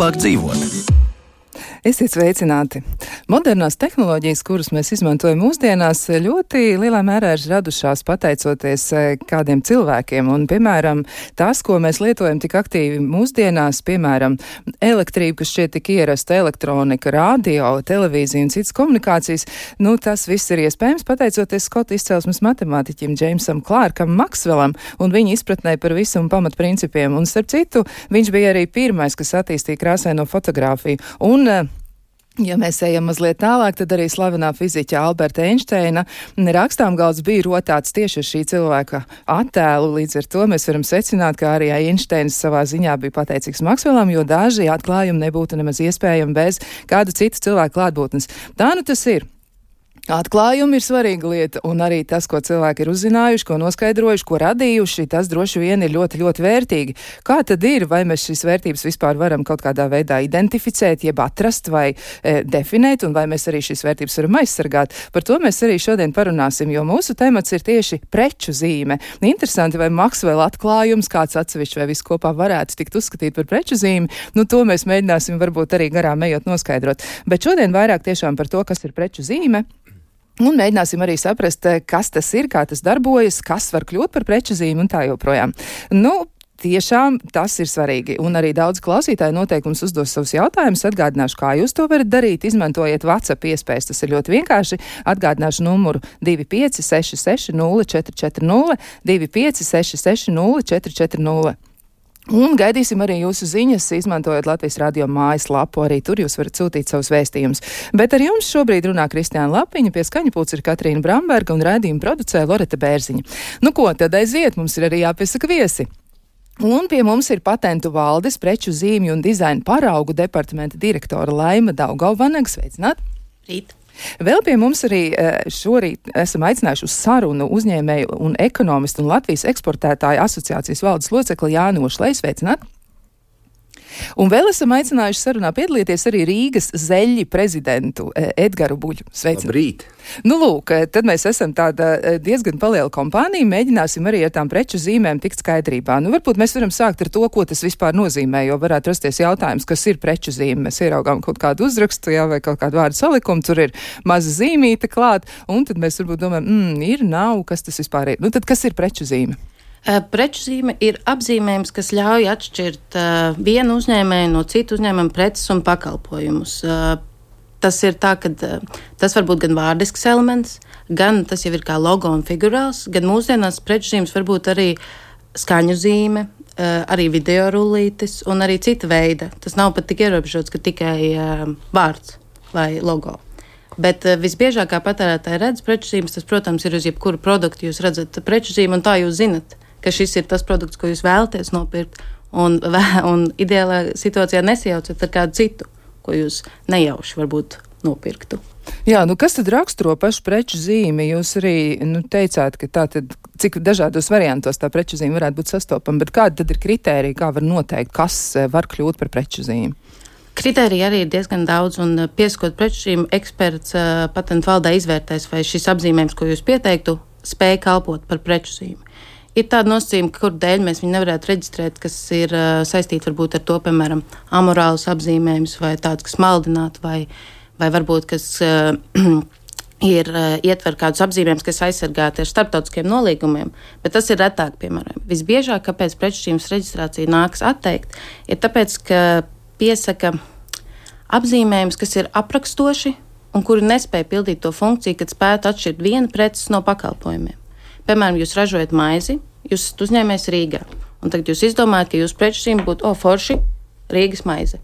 vieglāk dzīvot. Esiet sveicināti! Modernās tehnoloģijas, kuras mēs izmantojam mūsdienās, ļoti lielā mērā ir radušās pateicoties kādiem cilvēkiem. Un, piemēram, tas, ko mēs lietojam tik aktīvi mūsdienās, piemēram, elektrība, kas šķiet tik ierasta, elektronika, radio, televīzija un citas komunikācijas, tas viss ir iespējams pateicoties Skotu izcelsmes matemātiķim Džeimsam Klārkam Maksvelam un viņa izpratnē par visuma pamatprincipiem. Un, starp citu, viņš bija arī pirmais, kas attīstīja krāsaino fotogrāfiju. Un, ja mēs ejam mazliet tālāk, tad arī slavenā fiziķa Alberta Einsteina rakstāmgalds bija rotāts tieši ar šī cilvēka attēlu. Līdz ar to mēs varam secināt, ka arī Einsteins savā ziņā bija pateicīgs Maksvelam, jo daži atklājumi nebūtu nemaz iespējami bez kādu citu cilvēku klātbūtnes. Tā tas ir. Atklājumi ir svarīga lieta, un arī tas, ko cilvēki ir uzzinājuši, ko noskaidrojuši, ko radījuši, tas droši vien ir ļoti, ļoti vērtīgi. Kā tad ir, vai mēs šīs vērtības vispār varam kaut kādā veidā identificēt, jeb atrast vai definēt, un vai mēs arī šīs vērtības varam aizsargāt? Par to mēs arī šodien parunāsim, jo mūsu temats ir tieši preču zīme. Interesanti, vai Maksvela atklājums, kāds atsevišķi vai viss kopā varētu tikt uzskatīt par preču zīmi, to mēs mēģināsim varbūt arī garām ejot noskaidrot. Bet šodien vairāk tiešām par to, kas ir preču zīme. Un mēģināsim arī saprast, kas tas ir, kā tas darbojas, kas var kļūt par preču zīmi un tā joprojām. Tiešām tas ir svarīgi, un arī daudz klausītāji noteikti mums uzdos savus jautājumus. Atgādināšu, kā jūs to varat darīt. Izmantojiet WhatsApp iespējas, tas ir ļoti vienkārši. Atgādināšu numuru 2566 0440, 2566 0440. Un gaidīsim arī jūsu ziņas, izmantojot Latvijas radio mājaslapu, arī tur jūs varat sūtīt savus vēstījumus. Bet ar jums šobrīd runā Kristiāna Lapiņa, pie skaņapults ir Katrīna Bramberga un raidījuma producē Loreta Bērziņa. Ko tad aiziet, mums ir arī jāpiesaka viesi. Un pie mums ir patentu valdes, preču zīmju un dizaina paraugu departamenta direktora Laima Daugavvanaga. Sveicināt! Rīt! Vēl pie mums arī šorīt esam aicinājuši uz sarunu uzņēmēju un ekonomistu un Latvijas eksportētāju asociācijas valdes locekli Jāni Ošleju. Sveicināt! Un vēl esam aicinājuši sarunā piedalīties arī Rīgas zeļļi prezidentu Edgaru Buļu. Sveicināt! Labrīt! Lūk, tad mēs esam tāda diezgan liela kompānija, mēģināsim arī ar tām preču zīmēm tikt skaidrībā. Varbūt mēs varam sākt ar to, ko tas vispār nozīmē, jo varētu rasties jautājums, kas ir preču zīme. Mēs ieraugām kaut kādu uzrakstu, vai kaut kādu vārdu salikumu, tur ir maza zīmīte klāt, un tad mēs varbūt domājam, ir, nav, kas tas vispār ir. Tad kas ir preču zīme? Preču zīme ir apzīmējums, kas ļauj atšķirt vienu uzņēmēju no citu uzņēmumu preces un pakalpojumus. Tas ir tā, ka tas var būt gan vārdisks elements, gan tas jau ir kā logo un figurāls, gan mūsdienās preču zīmes var būt arī skaņu zīme, arī video rullītis un arī cita veida. Tas nav pat tik ierobežots, ka tikai vārds vai logo. Bet visbiežākā patērētāja redz preču zīmes, tas, protams, ir uz jebkuru produktu. Jūs redzat preču zīmi un tā jūs zinat, ka šis ir tas produkts, ko jūs vēlaties nopirkt, un ideālā situācijā nesajaucat ar kādu citu, ko jūs nejauši varbūt nopirktu. Jā, kas tad raksturo pašu preču zīmi? Jūs arī teicāt, ka tātad, cik dažādos variantos tā preču zīme varētu būt sastopama, bet kāda tad ir kritērija, kā var noteikt, kas var kļūt par preču zīmi? Kritērija arī ir diezgan daudz, un piesakot preču zīmi, eksperts patentu valdē izvērtēs, vai šis apzīmējums, ko jūs pieteiktu, spēj kalpot par preču zīmi. Ir tāda nosacījuma, kur dēļ mēs viņu nevarētu reģistrēt, kas ir saistīti varbūt ar to, piemēram, amorālus apzīmējums vai tāds, kas maldinātu, vai varbūt, kas ietver kādus apzīmējumus, kas aizsargāti ar starptautiskiem nolīgumiem, bet tas ir retāk, piemēram. Visbiežāk, kāpēc preču zīmes reģistrācija nāks atteikt, ir tāpēc, ka piesaka apzīmējums, kas ir aprakstoši un kuri nespēja pildīt to funkciju, kad spētu atšķirt vienu preces no pakalpojumiem. Piemēram, jūs ražojat maizi, jūs esat uzņēmējs Rīgā, un tagad jūs izdomājat, ka jūsu preču zīme būtu forši Rīgas maize.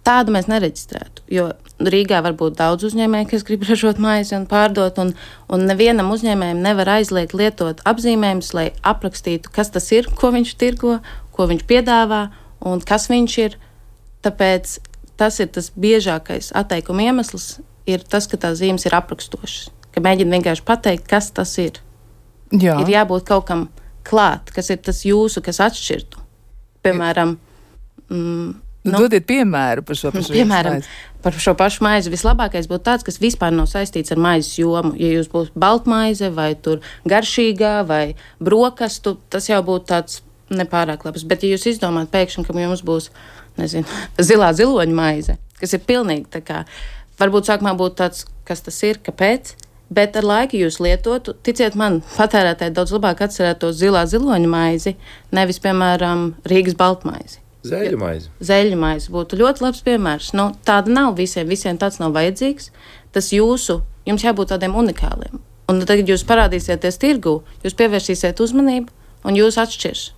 Tādu mēs nereģistrētu, jo Rīgā var būt daudz uzņēmēju, kas grib ražot maizi un pārdot, un nevienam uzņēmējam nevar aizliegt lietot apzīmējumus, lai aprakstītu, kas tas ir, ko viņš tirgo, ko viņš piedāvā un kas viņš ir. Tāpēc tas ir tas biežākais atteikuma iemesls, ir tas, ka tās zīmes ir aprakstošas, ka mēģina vienkārši pateikt, kas tas ir. Jā. Ir jābūt kaut kam klāt, kas ir tas jūsu, kas atšķirtu. Piemēram, dodiet piemēru par šo pašu piemēram, par šo pašu maizi. Vislabākais būtu tāds, kas vispār nav saistīts ar maizes jomu. Ja jūs būtu baltmaize vai tur garšīgā vai brokastu, tas jau būtu tāds nepārāk labs. Bet ja jūs izdomājat pēkšņi, ka jums būs zilā ziloņa maize, kas ir pilnīgi tā kā, varbūt sākumā būtu tāds, kas tas ir, kāpēc, bet ar laiku jūs lietotu, ticiet man, patērētāji daudz labāk atcerētos zilā ziloņa maizi, nevis, piemēram, Rīgas baltmaizi. Zeļu maize būtu ļoti labs piemērs. Tāda nav visiem tāds nav vajadzīgs. Tas jums jābūt tādiem unikāliem. Un tagad jūs parādīsieties tirgū, jūs pievērsīsiet uzmanību un jūs atšķirs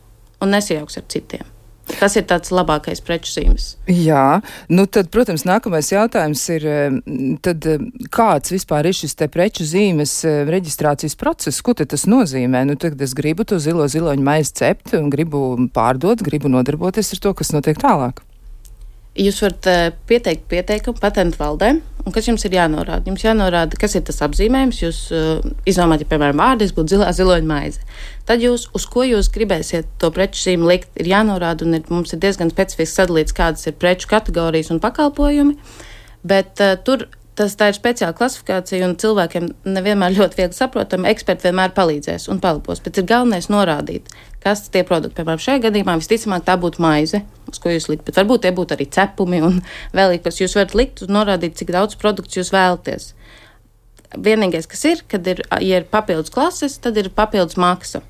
un nesajauks ar citiem. Tas ir tāds labākais preču zīmes. Jā, tad, protams, nākamais jautājums ir, tad kāds vispār ir šis te preču zīmes reģistrācijas process? Ko tad tas nozīmē? Tagad es gribu to ziloņu maizi cept un gribu pārdot, gribu nodarboties ar to, kas notiek tālāk. Jūs varat pieteikt pieteikumu patentu valdē, un kas jums ir jānorāda? Jums jānorāda, kas ir tas apzīmējums. Jūs izdomājat, ja, piemēram, vārdis būtu zilā ziloņa maize. Tad uz ko jūs gribēsiet to preču zīmi likt, ir jānorāda, un mums ir diezgan specifiski sadalīts, kādas ir preču kategorijas un pakalpojumi, bet tā ir speciāla klasifikācija, un cilvēkiem nevienmēr ļoti viegli saprotami. Eksperti vienmēr palīdzēs un palīdzēs, bet ir galvenais norādīt, kas tie produkti. Piemēram, šajā gadījumā visticamāk tā būtu maize, uz ko jūs likt, bet varbūt tie būtu arī cepumi un vēl kas jūs varat likt un norādīt, cik daudz produktu jūs vēlaties. Vienīgais, kas ir, ja ir papildus klases, tad ir papildus maksa.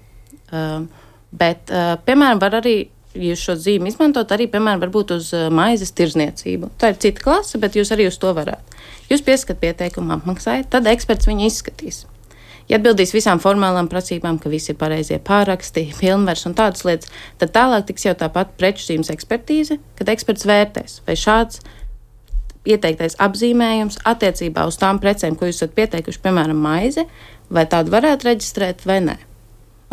Bet, piemēram, var arī jūs šo zīmi izmantot arī, piemēram, varbūt uz maizes tirzniecību. Tā ir cita klase, bet jūs arī uz to varētu. Jūs pieskat pieteikumu, apmaksājat, tad eksperts viņu izskatīs. Ja atbildīs visām formālām prasībām, ka visi ir pareizie pāraksti, pilnvars un tādas lietas, tad tālāk tiks jau tāpat preču zīmes ekspertīze, kad eksperts vērtēs, vai šāds ieteiktais apzīmējums attiecībā uz tām precēm, ko jūs esat pieteikuši, piemēram, maize, vai tādu varētu reģistrēt vai nē.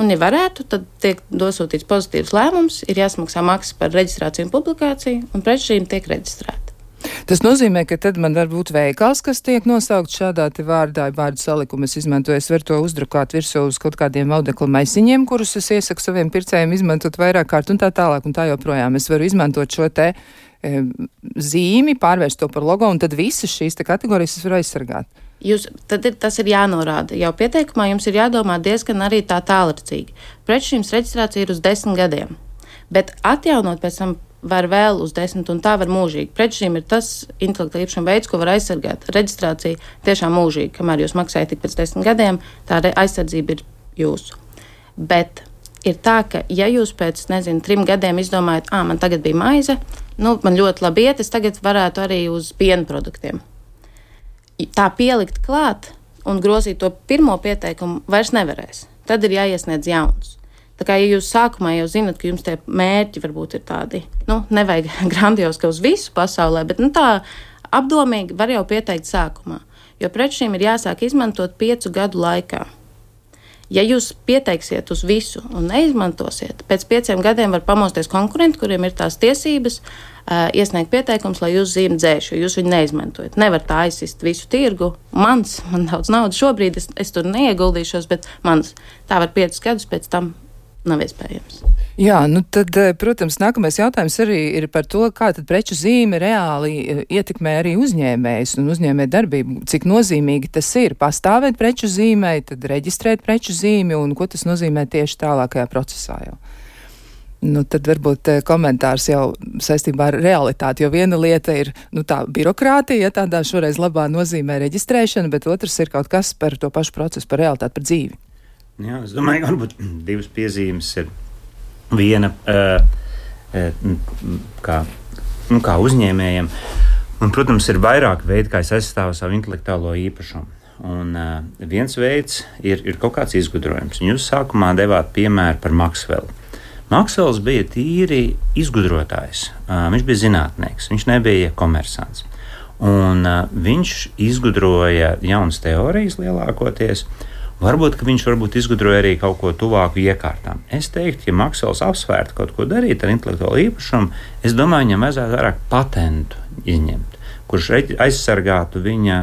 Un, ja varētu, tad tiek dosūtīts pozitīvs lēmums, ir jāsamaksā maksa par reģistrāciju un publikāciju, un preču zīme tiek reģistrēta. Tas nozīmē, ka tad man var būt veikals, kas tiek nosaukt šādā te vārdu salikumu. Es izmantoju, es varu to uzdrukāt virsū uz kaut kādiem audekla maisiņiem, kurus es iesaku saviem pircējiem izmantot vairāk kārt un tā tālāk un tā joprojām. Es varu izmantot šo te zīmi, pārvērst to par logo, un tad visas šīs te kategorijas es varu aizsargāt. Tas ir jānorāda. Jau pieteikumā jums ir jādomā diezgan arī tā tālredzīgi. Preču zīmes reģistrācija ir uz 10 gadiem, bet atjaunot pēc tam var vēl uz 10, un tā var mūžīgi. Preču zīme ir tas intelektuālā īpašuma veids, ko var aizsargāt. Reģistrācija tiešām mūžīgi, kamēr jūs maksājat tik pēc 10 gadiem, tā aizsardzība ir jūsu. Bet ir tā, ka ja jūs pēc, 3 gadiem izdomājat, man tagad bija maize, man ļoti labi iet, es tagad varētu arī uz piena produktiem. Tā pielikt klāt un grozīt to pirmo pieteikumu vairs nevarēs. Tad ir jāiesniedz jauns. Tā kā, ja jūs sākumā jau zinat, ka jums tie mērķi varbūt ir tādi, nevajag grandiozi, ka uz visu pasaulē, bet tā apdomīgi var jau pieteikt sākumā, jo preču zīme ir jāsāk izmantot 5 gadu laikā. Ja jūs pieteiksiet uz visu un neizmantosiet, pēc 5 gadiem var pamosties konkurenti, kuriem ir tās tiesības iesniegt pieteikums, lai jūs zīmi dzēš, jo jūs viņu neizmantojat. Nevar tā aizsist visu tirgu. Man daudz naudas šobrīd, es tur neieguldīšos, bet tā var 5 gadus pēc tam nav iespējams. Jā, tad, protams, nākamais jautājums arī ir par to, kā tad preču zīme reāli ietekmē arī uzņēmējus un uzņēmē darbību. Cik nozīmīgi tas ir pastāvēt preču zīmei, tad reģistrēt preču zīmi un ko tas nozīmē tieši tālākajā procesā jau. Tad varbūt komentārs jau saistībā ar realitāti, jo viena lieta ir tā birokrātija, ja tādā šoreiz labā nozīmē reģistrēšana, bet otrs ir kaut kas par to pašu procesu, par realitāti, par dzīvi. Jā, es domāju, ka varbūt 2 piezīmes ir viena kā uzņēmējiem. Un, protams, ir vairāk veidi, kā es aizstāvu savu intelektuālo īpašumu. Un viens veids ir kaut kāds izgudrojums. Jūs sākumā devāt piemēru par Maksvelu. Maksvels bija tīri izgudrotājs. Viņš bija zinātnieks, viņš nebija komersants. Un viņš izgudroja jaunas teorijas lielākoties. Varbūt, ka viņš izgudroja arī kaut ko tuvāku iekārtām. Es teiktu, ja Maksvels apsvērtu kaut ko darīt ar intelektuālo īpašumu, es domāju, viņam vajadzētu vairāk patentu izņemt, kurš aizsargātu viņa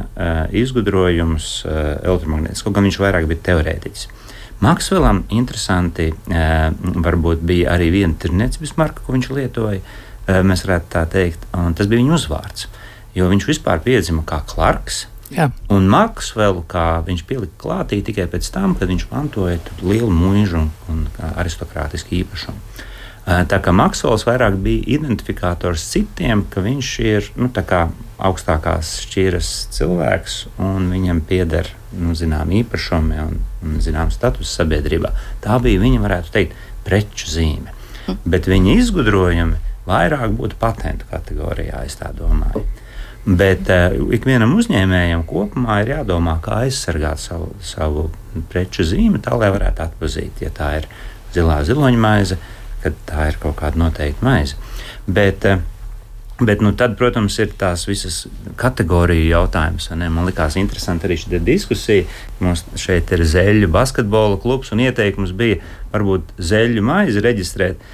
izgudrojumus elektromagnētiski, kaut gan viņš vairāk bija teorētiķis. Maksvelam interesanti varbūt bija arī viena tirniecības marka, ko viņš lietoja, mēs varētu tā teikt, un tas bija viņa uzvārds, jo viņš vispār piedzima kā Clarks. Jā. Un Maksvelu, kā viņš pielika klātī tikai pēc tam, kad viņš mantoja lielu mūžu un aristokrātisku īpašumu. Tā kā Maksols vairāk bija identifikators citiem, ka viņš ir tā kā augstākās šķiras cilvēks un viņam pieder zinām īpašumi un zinām status sabiedrībā. Tā bija, viņa varētu teikt, preču zīme. Bet viņa izgudrojumi vairāk būtu patentu kategorijā, es tā domāju. Bet ikvienam uzņēmējam kopumā ir jādomā, kā aizsargāt savu preču zīmi, tā lai varētu atpazīt, ja tā ir zilā ziloņmaize, kad tā ir kaut kāda noteikta maize. Bet tad, protams, ir tās visas kategoriju jautājums. Man likās interesanti arī šī diskusija. Mums šeit ir Zeļu basketbola klubs, un ieteikums bija varbūt Zeļu maizi reģistrēt.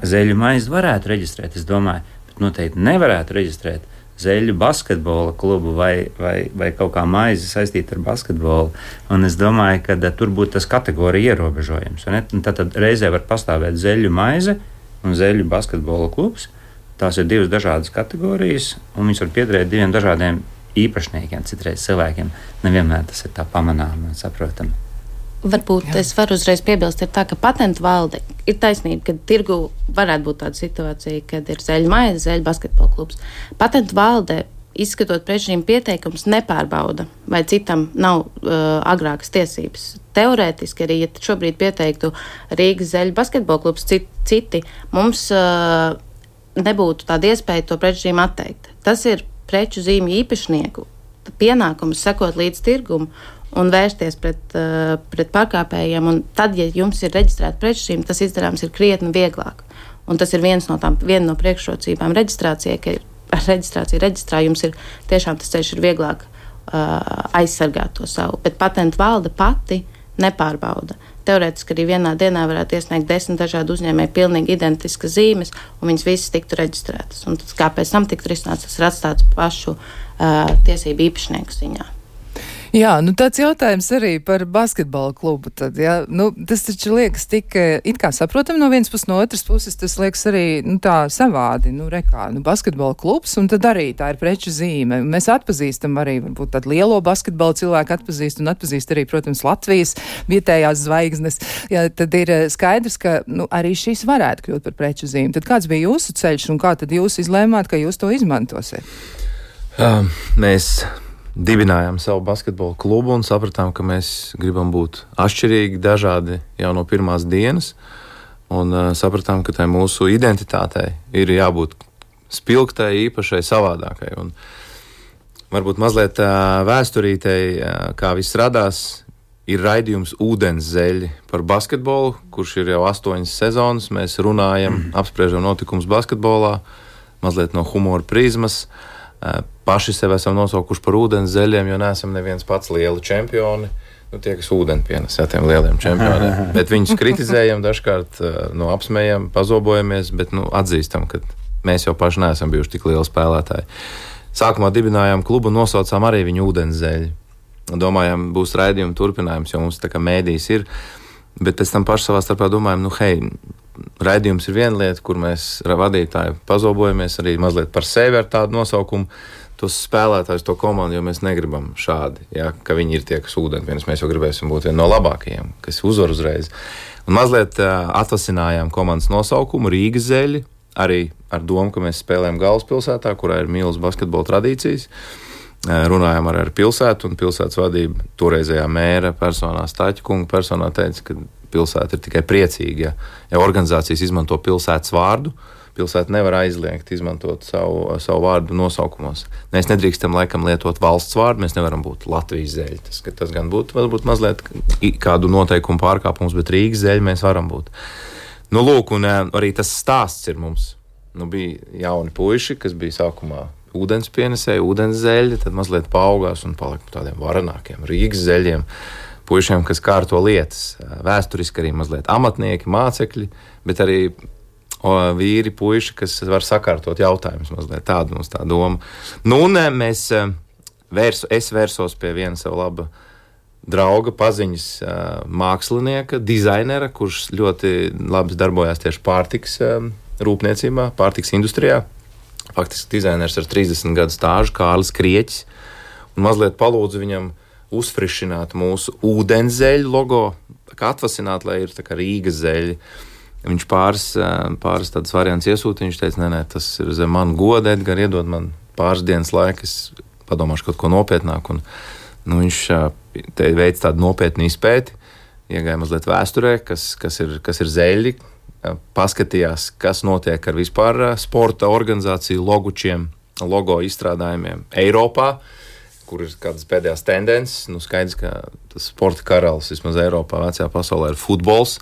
Zeļu maizi varētu reģistrēt, es domāju, bet noteikti nevarētu reģistrēt Zeļu basketbola klubu vai kaut kā maizi saistīta ar basketbolu. Un es domāju, ka tur būtu tas kategorija ierobežojums. Tad reizē var pastāvēt Zeļu maize un Zeļu basketbola klubs. Tās ir divas dažādas kategorijas, un viņas var piederēt diviem dažādiem īpašniekiem, citreiz cilvēkiem. Nevienmēr tas ir tā pamanām un saprotam. Varbūt es varu uzreiz piebilst, ir tā, ka patentu valde ir taisnība, ka tirgu varētu būt tāda situācija, kad ir Zeļu maize, Zeļu basketbola klubs. Patentu valde, izskatot priekšrežīmu pieteikumus, nepārbauda, vai citam nav agrākas tiesības. Teorētiski arī, ja šobrīd pieteiktu Rīgas Zeļu basketbola klubs citi, mums nebūtu tāda iespēja to preču zīmi atteikt. Tas ir preču zīmju īpašnieku pienākums sekot līdz tirgumu un vērsties pret pārkāpējiem. Un tad, ja jums ir reģistrēta preču zīme, tas izdarāms ir krietni vieglāk. Un tas ir viena no priekšrocībām reģistrācijai, ka ar reģistrāciju reģistrā jums ir tiešām tas ceļš ir vieglāk aizsargāt to savu. Bet patentu valde pati nepārbauda. Teorētiski arī vienā dienā varētu iesniegt 10 dažādu uzņēmēju pilnīgi identiskas zīmes, un viņas visas tiktu reģistrētas. Un tas, kā pēc tam tiktu risināts, tas ir atstāts pašu tiesību īpašnieku ziņā. Jā, tāds jautājums arī par basketbola klubu. Tad, ja? Tas taču liekas tik it kā saprotam no vienas puses, no otras puses tas liekas arī tā savādi. Basketbola klubs, un tad arī tā ir preču zīme. Mēs atpazīstam arī varbūt tādu lielo basketbola cilvēku atpazīst arī, protams, Latvijas vietējās zvaigznes. Ja, tad ir skaidrs, ka arī šīs varētu kļūt par preču zīmi. Tad kāds bija jūsu ceļš un kā tad jūs izlēmāt, ka jūs to izmantosiet? Mēs dibinājām savu basketbola klubu un sapratām, ka mēs gribam būt atšķirīgi, dažādi jau no pirmās dienas. Un sapratām, ka tai mūsu identitātei ir jābūt spilgtai, īpašai, savādākai. Un varbūt mazliet vēsturītei, kā viss radās, ir raidījums Ūdens zeļi par basketbolu, kurš ir jau 8 sezonas. Mēs runājam, apspriežam notikumus basketbolā, mazliet no humora prizmas. Paši sev esam nosaukuši par ūdens zeļiem, jo neesam neviens pats lieli čempioni. Tie, kas ūdeni pienes, tiem lieliem čempioniem. Bet viņus kritizējam, dažkārt apsmējam, pazobojamies, bet atzīstam, ka mēs jau paši neesam bijuši tik lieli spēlētāji. Sākumā dibinājām klubu un nosaucām arī viņu ūdens zeļi. Domājām, būs raidījuma turpinājums, jo mums tā kā mēdījis ir. Bet pēc tam paši savā starpā domājam, raidījums ir viena lieta, kur mēs vadītāji pazobojamies arī mazliet par sevi ar tādu nosaukumu. Tos spēlētājus, to komandu, jo mēs negribam šādi, ka viņi ir tie, kas ūdeni pienes. Mēs jau gribēsim būt vieni no labākajiem, kas uzvar uzreiz. Un mazliet atvasinājām komandas nosaukumu Rīgas zeļi, arī ar domu, ka mēs spēlējam galvaspilsētā, kurā ir milzīgas basketbola tradīcijas. Runājām ar pilsētu, un pilsētas vadība toreizējā mēra personā, Staķa kunga personā teica, ka pilsēta ir tikai priecīga, ja organizācijas izmanto pilsētas vārdu. Pilsēta nevar aizliegt izmantot savu vārdu nosaukumos. Mēs nedrīkstam laikam lietot valsts vārdu, mēs nevaram būt Latvijas zeļi. Tas gan būtu varbūt mazliet kādu noteikumu pārkāpums, bet Rīgas zeļi mēs varam būt. Un arī tas stāsts ir mums. Bija jauni puiši, kas bija sākumā ūdens pienesēji, ūdens zeļi, tad mazliet paaugās un palika tādiem varenākiem Rīgas zeļiem, puišiem, kas kārto lietas. Vēsturiski arī mazliet amatnieki, mācekļi, bet arī vīri, puiši, kas var sakārtot jautājumus mazliet. Tāda mums tā doma. Es vērsos pie viena sava laba drauga, paziņas mākslinieka, dizainera, kurš ļoti labi darbojās tieši pārtiks rūpniecībā, pārtiks industrijā. Faktiski dizainers ar 30 gadu stāžu, Kārlis Krieķis, un mazliet palūdzu viņam uzfrišināt mūsu ūdens zeļu logo, tā kā atvasināt, lai ir tā kā Rīgas zeļi. Viņš pāris tādas variants iesūtīja. Viņš teica, nē, tas ir zem man goda, Edgar, iedod man pāris dienas laika, es padomāšu kaut ko nopietnāku. Viņš te veic tādu nopietnu izpēti, iegāja mazliet vēsturē, kas ir zeļi, paskatījās, kas notiek ar vispār sporta organizāciju logučiem, logo izstrādājumiem Eiropā, kur ir kādas pēdējās tendences. Skaidrs, ka tas sporta karalis vismaz Eiropā, vecajā pasaulē ir futbols.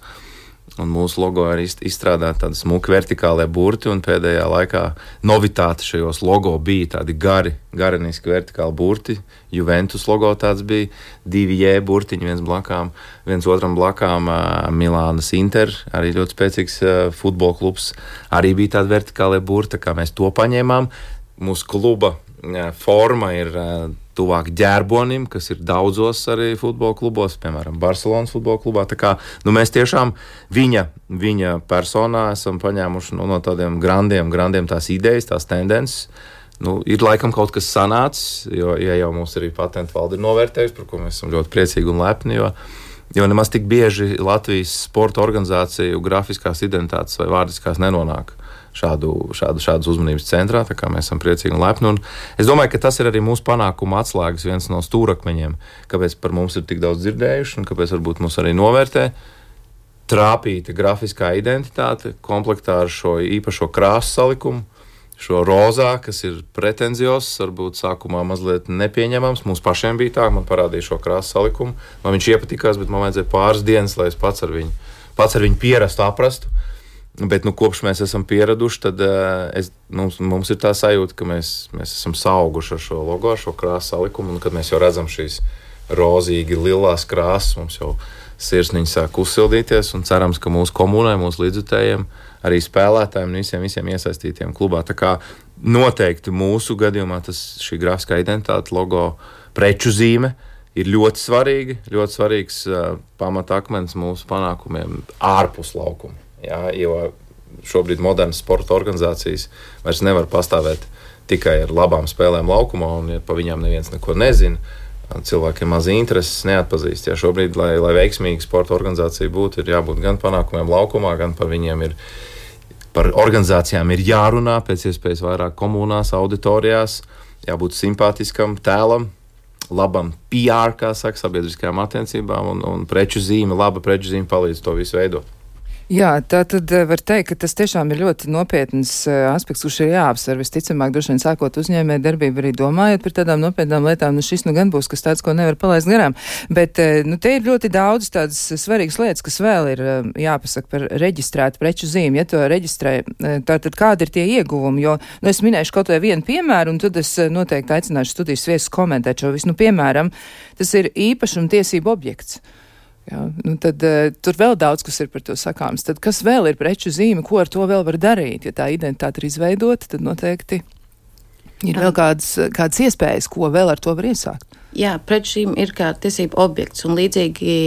Un mūsu logo ir izstrādāti tādi smuki vertikālie burti, un pēdējā laikā novitāte šajos logo bija tādi gariniski vertikāli burti. Juventus logo tāds bija, 2 J burtiņi, viens otram blakām, Milānas Inter, arī ļoti spēcīgs futbola klubs, arī bija tādi vertikālie burti, tā kā mēs to paņēmām. Mūsu kluba forma ir tuvāk ģērbonim, kas ir daudzos arī futbola klubos, piemēram, Barcelonas futbola klubā. Tā kā mēs tiešām viņa personā esam paņēmuši no tādiem grandiem tās idejas, tās tendences. Ir laikam kaut kas sanācis, jo jau mums arī patentu valde ir novērtējusi, par ko mēs esam ļoti priecīgi un lepni, jo nemaz tik bieži Latvijas sporta organizāciju grafiskās identitātes vai vārdiskās nenonāk šādas uzmanības centrā, tā kā mēs esam priecīgi un lepni. Un es domāju, ka tas ir arī mūsu panākuma atslēgas, viens no stūrakmeņiem, kāpēc par mums ir tik daudz dzirdējuši un kāpēc varbūt mūs arī novērtē. Trāpīta grafiskā identitāte komplektā ar šo īpašo krāsu salikumu, šo rozā, kas ir pretenzios, varbūt sākumā mazliet nepieņemams. Mums pašiem bija tā, man parādīja šo krāsu salikumu. Man viņš iepatikās, bet man vajadzēja pāris dienas, lai es pats ar viņu pierastu, aprastu. Bet kopš mēs esam pieraduši, tad mums ir tā sajūta, ka mēs esam sauguši ar šo logo, ar šo krāsu salikumu, un kad mēs jau redzam šīs rozīgi lilās krāsas, mums jau sirsniņi sāk uzsildīties, un cerams, ka mūsu komunai, mūsu līdzjutējiem, arī spēlētājiem un visiem iesaistītiem klubā. Tā kā noteikti mūsu gadījumā šī grafiskā identitāte, logo, preču zīme ir ļoti svarīgs pamatakmens mūsu panākumiem ārpus laukuma. Jā, jo šobrīd modernas sporta organizācijas vairs nevar pastāvēt tikai ar labām spēlēm laukumā, un par viņām neviens neko nezina. Cilvēkiem maz intereses, neatpazīst. Jā, šobrīd, lai veiksmīga sporta organizācija būtu, ir jābūt gan panākumiem laukumā, gan par organizācijām ir jārunā pēc iespējas vairāk komunās, auditorijās, jābūt simpātiskam tēlam, labam PR, kā saka, sabiedriskajām attiecībām, un laba preču zīme palīdz to visu veidot. Jā, tā tad var teikt, ka tas tiešām ir ļoti nopietns aspekts, kurš ir jāapsver. Visticamāk, droši vien sākot uzņēmē darbību arī domājot par tādām nopietnām lietām, šis gan būs kas tāds, ko nevar palaist garām. Bet, te ir ļoti daudz tādas svarīgas lietas, kas vēl ir jāpasaka par reģistrētu preču zīmi. Ja to reģistrē, tad kādi ir tie ieguvumi? Jo, es minēšu kaut vai vienu piemēru, un tad es noteikti aicināšu studijas viesus komentēt šo visu. Piemēram, tas ir īpašumtiesību objekts. Jā, tad tur vēl daudz, kas ir par to sakāms. Tad kas vēl ir preču zīme, ko ar to vēl var darīt? Ja tā identitāte ir izveidota, tad noteikti ir vēl kādas iespējas, ko vēl ar to var iesākt. Jā, preču zīme ir kā tiesību objekts, un līdzīgi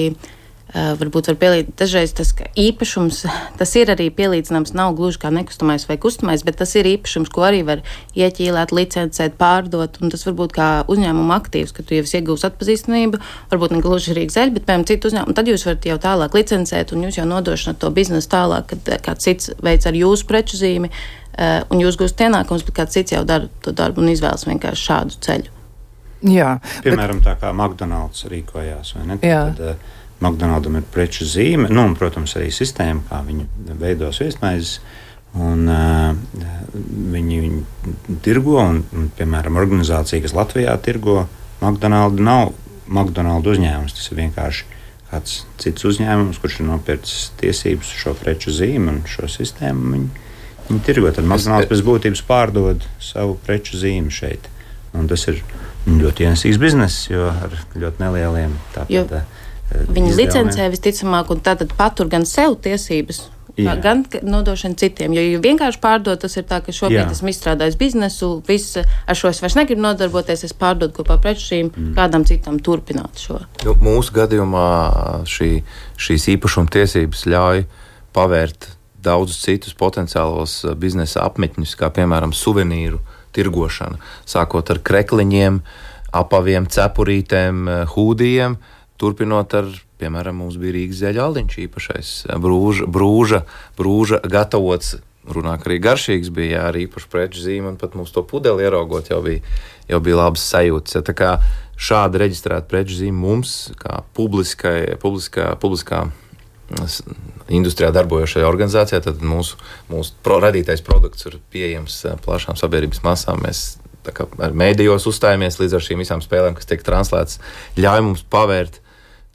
varbūt var pielīdzināt, dažreiz tas īpašums, tas ir arī pielīdzināms, nav gluži kā nekustamais vai kustamais, bet tas ir īpašums, ko arī var ieķīlēt, licencēt, pārdot, un tas varbūt kā uzņēmuma aktīvs, ka tu jau iegūsi atpazīstamību, varbūt ne gluži Rīgas zeļa, bet, piemēram, citu uzņēmumu, tad jūs varat jau tālāk licencēt, un jūs jau nodošanat to biznesu tālāk, kad kāds cits veids ar jūsu preču zīmi, un jūs gūstat ienākumus, bet kāds cits jau dara to darbu un izvēlas vienkārši šādu ceļu. Jā. Piemēram, tā kā McDonald's rīkojās, vai ne? Tad, McDonaldam ir preču zīme, un, protams, arī sistēma, kā viņi veido viesmaizes, un viņi tirgo, un, piemēram, organizācija, kas Latvijā tirgo McDonaldu, nav McDonaldu uzņēmums, tas ir vienkārši kāds cits uzņēmums, kurš ir nopircis tiesības šo preču zīmi un šo sistēmu, viņi tirgo. Tad McDonalds pēc būtības pārdod savu preču zīmi šeit, un tas ir ļoti ienesīgs bizness, jo ar ļoti nelieliem tātad viņi licencē visticamāk, un tātad patur gan sev tiesības, gan nodošana citiem. Jo vienkārši pārdot, tas ir tā, ka šobrīd esmu izstrādājis biznesu, ar šo es vairs negribu nodarboties, es pārdodu kopā preču zīmi, kādam citam turpināt šo. Mūsu gadījumā šīs īpašuma tiesības ļauj pavērt daudzus citus potenciālos biznesa apmetņus, kā piemēram suvenīru tirgošana, sākot ar krekliņiem, apaviem, cepurītēm, hūdijiem. turpinot ar, piemēram, mums bija Rīgas zeļa aliņš īpašais, brūža gatavots, runāk arī garšīgs bija, jā, arī īpaši preču zīme, un pat mums to pudeli ieraugot jau bija labas sajūtas. Tā kā šāda reģistrēta preču zīme mums, kā publiskā industrijā darbojošajā organizācijā, tad mūsu radītais produkts ir pieejams plašām sabiedrības masām. Mēs tā kā ar mēdījos uzstājamies līdz ar šīm visām spēlēm, kas tiek translētas, ļauj mums pavērt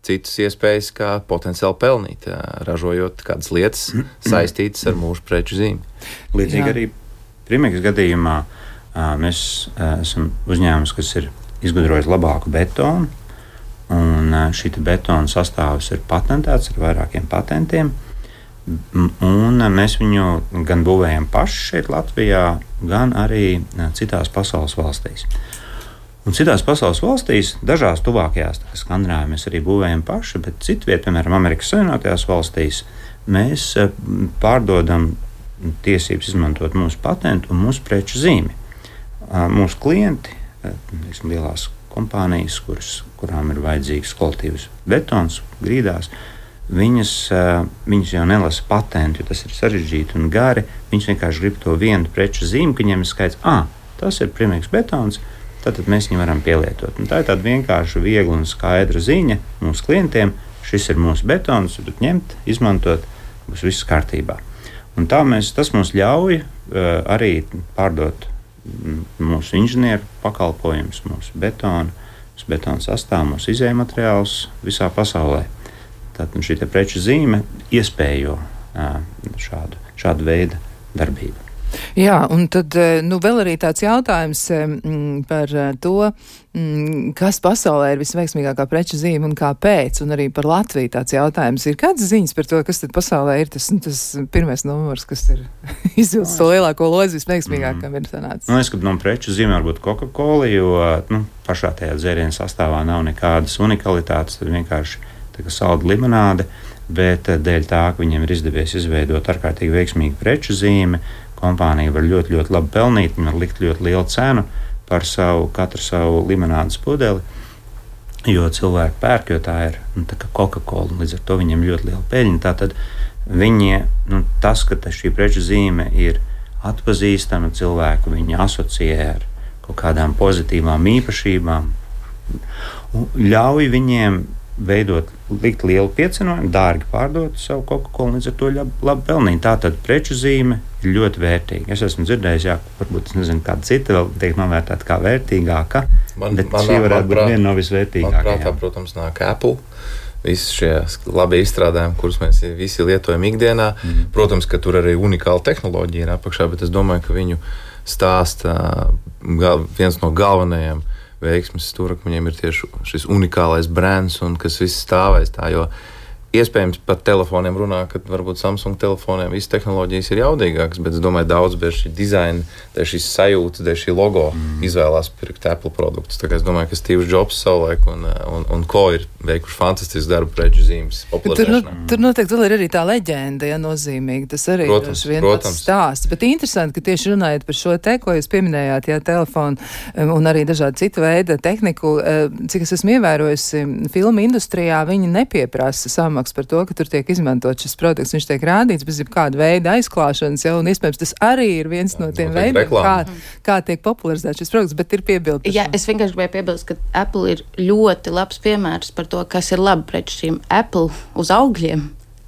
citas iespējas, kā potenciāli pelnīt, ražojot kādas lietas saistītas ar mūsu preču zīmi. Līdzīgi arī Primeks gadījumā mēs esam uzņēmums, kas ir izgudrojis labāku betonu, un šī betona sastāvs ir patentēts ar vairākiem patentiem, un mēs viņu gan būvējam paši šeit Latvijā, gan arī citās pasaules valstīs. Un citās pasaules valstīs, dažās tuvākajās, tā Skandināvijā, mēs arī būvējam paši, bet citviet, piemēram, Amerikas Savienotajās valstīs, mēs pārdodam tiesības izmantot mūsu patentu un mūsu preču zīmi. Mūsu klienti, lielās kompānijas, kurām ir vajadzīgs kvalitīvs betons grīdās, viņas jau nelasa patentu, jo tas ir sarežģīti un gari. Viņas vienkārši grib to vienu preču zīmi, ka viņiem ir skaidrs, tas ir Primeks betons, tad mēs viņu varam pielietot. Un tā ir tāda vienkārša, viegla un skaidra ziņa mūsu klientiem. Šis ir mūsu betons, tad ņemt, izmantot, būs viss kārtībā. Un tas mums ļauj arī pārdot mūsu inženieru pakalpojumus, mūsu betonu sastāvu, mūsu izējmateriālus visā pasaulē. Tātad šī preču zīme iespējo šādu veidu darbību. Jā, un tad vēl arī tāds jautājums par to, kas pasaulē ir visveiksmīgākā preču zīme un kāpēc, un arī par Latviju tāds jautājums. Ir kādas ziņas par to, kas tad pasaulē ir tas pirmais numurs, kas ir izvilcis to lielāko lozi visveiksmīgākam ir sanācis? Es gribu no preču zīme varbūt Coca-Cola, jo pašā tajā dzērienu sastāvā nav nekādas unikalitātes, tad vienkārši tā kā salda limonāde, bet dēļ tā, ka viņiem ir izdevies izveidot ārkārtīgi veiksmīgu preču zīmi, kompānija var ļoti, ļoti labi pelnīt, viņa var likt ļoti lielu cenu par katru savu limonādes pudeli, jo cilvēki pērk, jo tā ir tā kā Coca-Cola, līdz ar to viņiem ļoti liela peļņa. Tātad tas, ka šī preču zīme ir atpazīstama, cilvēku viņi asociē ar kaut kādām pozitīvām īpašībām, ļauj viņiem likt lielu piecenojumu, dārgi pārdot savu Coca-Cola, līdz ar to labi pelnīt. Tātad preču zīme ir ļoti vērtīga. Es esmu dzirdējis, varbūt es nezinu, kāda cita vēl tiek novērtēta kā vērtīgāka, bet šī varētu būt viena no visvērtīgākajām. Manuprāt, protams, nāk Apple. Visi šie labi izstrādājumi, kurus mēs visi lietojam ikdienā. Protams, ka tur arī unikāla tehnoloģija ir apakšā, bet es domāju, ka viņu stāsta viens no galvenajiem veiksmes stūrakmeņiem ir tieši šis unikālais brands, un kas viss stāvēs tā, jo iespējams par telefoniem runā, ka varbūt Samsung telefoniem visas tehnoloģijas ir jaudīgākas, bet es domāju, daudz dēļ šī dizaina, dēļ šīs sajūtas, dēļ šī logo izvēlās pirkt Apple produktus. Tā kā es domāju, ka Steve Jobs savulaik un ko ir veikuši fantastisks darbu preču zīmes popularizēšanā. Tur noteikti vēl ir arī tā leģenda, nozīmīgi. Tas arī ir viens stāsts. Bet interesanti, ka tieši runājot par šo te, ko jūs pieminējāt, telefonu un arī dažādi citu veidu tehniku, cik es esmu ievērojusi, filmu industrijā viņi nepieprasa par to, ka tur tiek izmantot šis produkts. Viņš tiek rādīts bez jebkāda veida aizklāšanas, un iespējams tas arī ir viens no tiem veidiem, kā tiek popularizēts šis produkts, bet ir piebildi. Jā, es vienkārši gribēju piebilst, ka Apple ir ļoti labs piemērs par to, kas ir labi pret šīm Apple uz augļiem.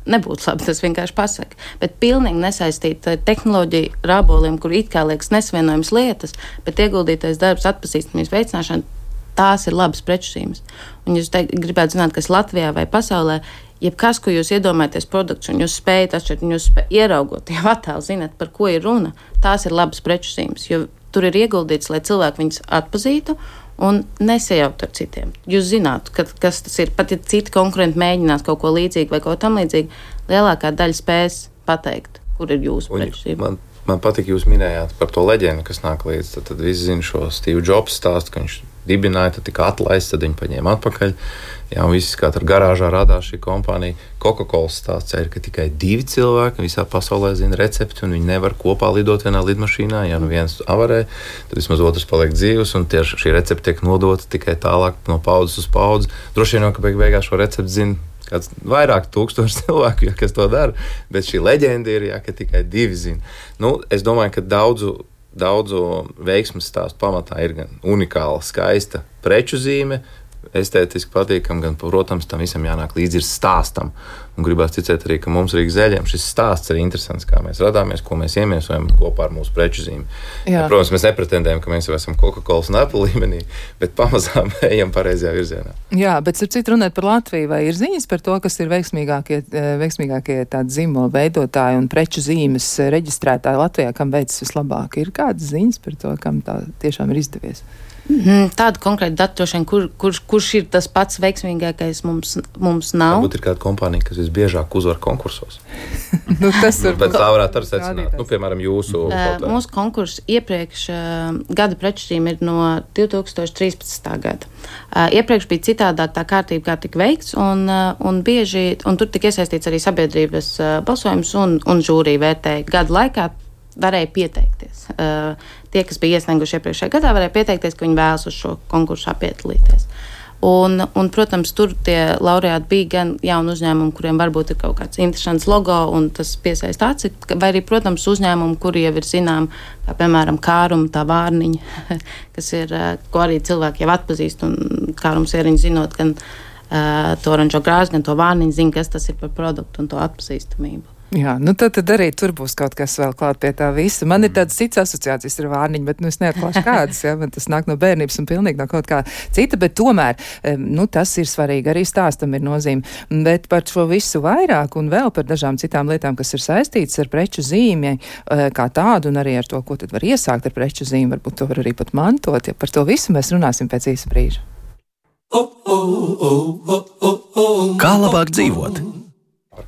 Nebūtu labi, tas vienkārši pasaka. Bet pilnīgi nesaistīt tehnoloģiju rāboliem, kur it kā liekas nesvienojams lietas, bet ieguldītais darbs atpazīstamības veicināšana, tās ir labas preču zīmes. Un jūs gribētu zināt, kas Latvijā vai pasaulē, jebkas, ko jūs iedomājaties produkts, un jūs spējat atšķirt, un jūs ieraugot jau attēlu, zināt, par ko ir runa, tās ir labas preču zīmes, jo tur ir ieguldīts, lai cilvēki viņus atpazītu un nesajaukt ar citiem. Jūs zinātu, kas tas ir, pat ja citi konkurenti mēģinās kaut ko līdzīgu vai kaut tam līdzīgu, lielākā daļa spēs pateikt, kur ir jūsu preču zīme. Man patīk, jūs minējāt par to leģendu, kas nāk līdz. Tad visi zina šo Steve Jobs stāstu, ka viņš dibināja, tad tika atlaists, tad viņi paņēma atpakaļ. Jā, un viss kā tur garāžā radās šī kompānija. Coca-Cola stāsts ir, ka tikai 2 cilvēki visā pasaulē zina recepti, un viņi nevar kopā lidot vienā lidmašīnā. Ja nu viens avarē, tad vismaz otrs paliek dzīvs, un tieši šī recepte tiek nodota tikai tālāk no paudzes uz paudzi. Droši vien, ka beigās šo recepti zina kāds vairāk tūkstoši cilvēku, ja, kas to dara, bet šī leģenda ir, ja, ka tikai 2 zina. Nu, es domāju, ka daudzu veiksmes stāstu pamatā ir gan unikāla, skaista preču zīme, estētiski patīkam, gan, protams, tam visam jānāk līdzi ir stāstam. Un gribās ticēt arī, ka mums Rīgas Zeļiem šis stāsts ir interesants, kā mēs radāmies, ko mēs iemiesojam kopā ar mūsu preču zīmi. Ja, protams, mēs nepretendējam, ka mēs jau esam Coca-Cola un Apple līmenī, bet pamazām ejam pareizajā virzienā. Jā, bet starp citu runāt par Latviju, vai ir ziņas par to, kas ir veiksmīgākie tādi zīmola veidotāji un preču zīmes reģistrētāji Latvijā, kam veids vislabāk? Ir kādas ziņas par to, kam tā tiešām ir izdevies? Tāda konkrēta data, kurš ir tas pats veiksmīgākais, mums nav. Varbūt ir kāda kompānija, kas visbiežāk uzvar konkursos. Tas var bet tā varētu arī secināt. Piemēram, jūsu mūsu konkurss iepriekš gada preču zīme ir no 2013. gada. Iepriekš bija citādāk tā kārtība, kā tika veikts, un bieži, un tur tika iesaistīts arī sabiedrības balsojums un žūrija vērtēja gadu laikā. Varēja pieteikties. Tie, kas bija iesnieguši iepriekšējā gadā, varēja pieteikties, ka viņi vēlas uz šo konkursu piedalīties. Un, protams, tur tie laureāti bija gan jauni uzņēmumi, kuriem varbūt ir kaut kāds interesants logo, un tas piesaista aci, vai arī, protams, uzņēmumi, kuri jau ir zinām, kā piemēram Kāruma, tā vārniņa, kas ir, ko arī cilvēki jau atpazīst, un Kārums ieriņš zinot gan to oranžo grāzi, gan to vārniņu, zina, kas tas ir par produktu un to atpazīstamību. Jā, nu tad arī tur būs kaut kas vēl klāt pie tā visa. Man ir tādas citas asociācijas ar vārniņu, bet es neatklāšu kādas, ja, man tas nāk no bērnības un pilnīgi no kaut kā cita, bet tomēr, tas ir svarīgi, arī stāstam ir nozīme. Bet par šo visu vairāk un vēl par dažām citām lietām, kas ir saistītas ar preču zīmi kā tādu un arī ar to, ko tad var iesākt ar preču zīmi, varbūt to var arī pat mantot, ja par to visu mēs runāsim pēc īsa brīža. Kā labāk dzīvot?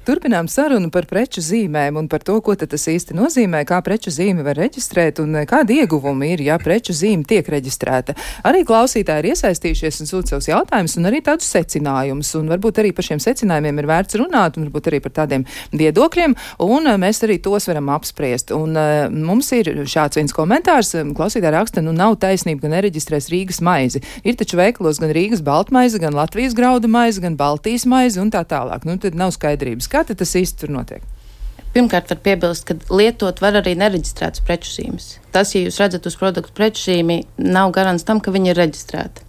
Turpinām sarunu par preču zīmēm un par to, ko tas īsti nozīmē, kā preču zīmi var reģistrēt un kādi ieguvumi ir, ja preču zīme tiek reģistrēta. Arī klausītāji ir iesaistījušies un sūta savus jautājumus un arī tādus secinājumus. Un varbūt arī par šiem secinājumiem ir vērts runāt un varbūt arī par tādiem viedokļiem, un mēs arī tos varam apspriest. Un mums ir šāds viens komentārs, klausītāji raksta, nav taisnība, ka nereģistrēs Rīgas maizi. Ir taču veikalos gan Rīgas baltmaize, gan Latvijas graudu maize, gan Baltijas maize un tā tālāk. Tad nav skaidrības. Kā tas īsti tur notiek? Pirmkārt, var piebilst, ka lietot var arī nereģistrētas preču zīmes. Tas, ja jūs redzat uz produktu preču zīmi, nav garants tam, ka viņi ir reģistrēti.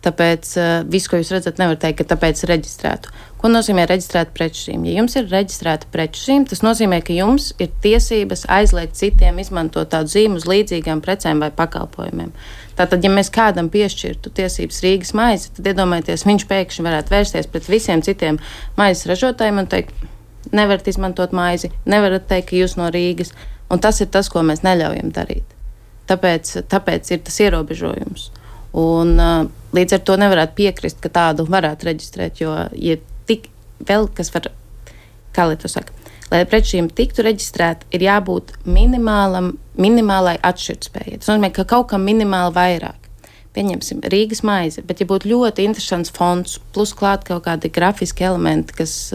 Tāpēc visu, ko jūs redzat, nevar teikt, ka tāpēc reģistrētu. Ko nozīmē reģistrēta preču zīme? Ja jums ir reģistrēta preču zīme, tas nozīmē, ka jums ir tiesības aizliegt citiem izmantot tādu zīmu uz līdzīgām precēm vai pakalpojumiem. Tātad, ja mēs kādam piešķirtu tiesības Rīgas maizi, tad iedomājieties, viņš pēkšņi varētu vērsties pret visiem citiem maizes ražotājiem un teikt, nevarat izmantot maizi, nevarat teikt, ka jūs no Rīgas. Un tas ir tas, ko mēs neļaujam darīt. Tāpēc ir tas ierobežojums. Un līdz ar to nevarētu piekrist, ka tādu varētu reģistrēt, jo ja tik vēl, kas var, kā lai to saka, lai preču zīme tiktu reģistrēta, ir jābūt minimālai atšķirtspējai. Tas nozīmē, ka kaut kam minimāli vairāk. Pieņemsim Rīgas maize, bet ja būtu ļoti interesants fonds, plus klāt kaut kādi grafiski elementi, kas,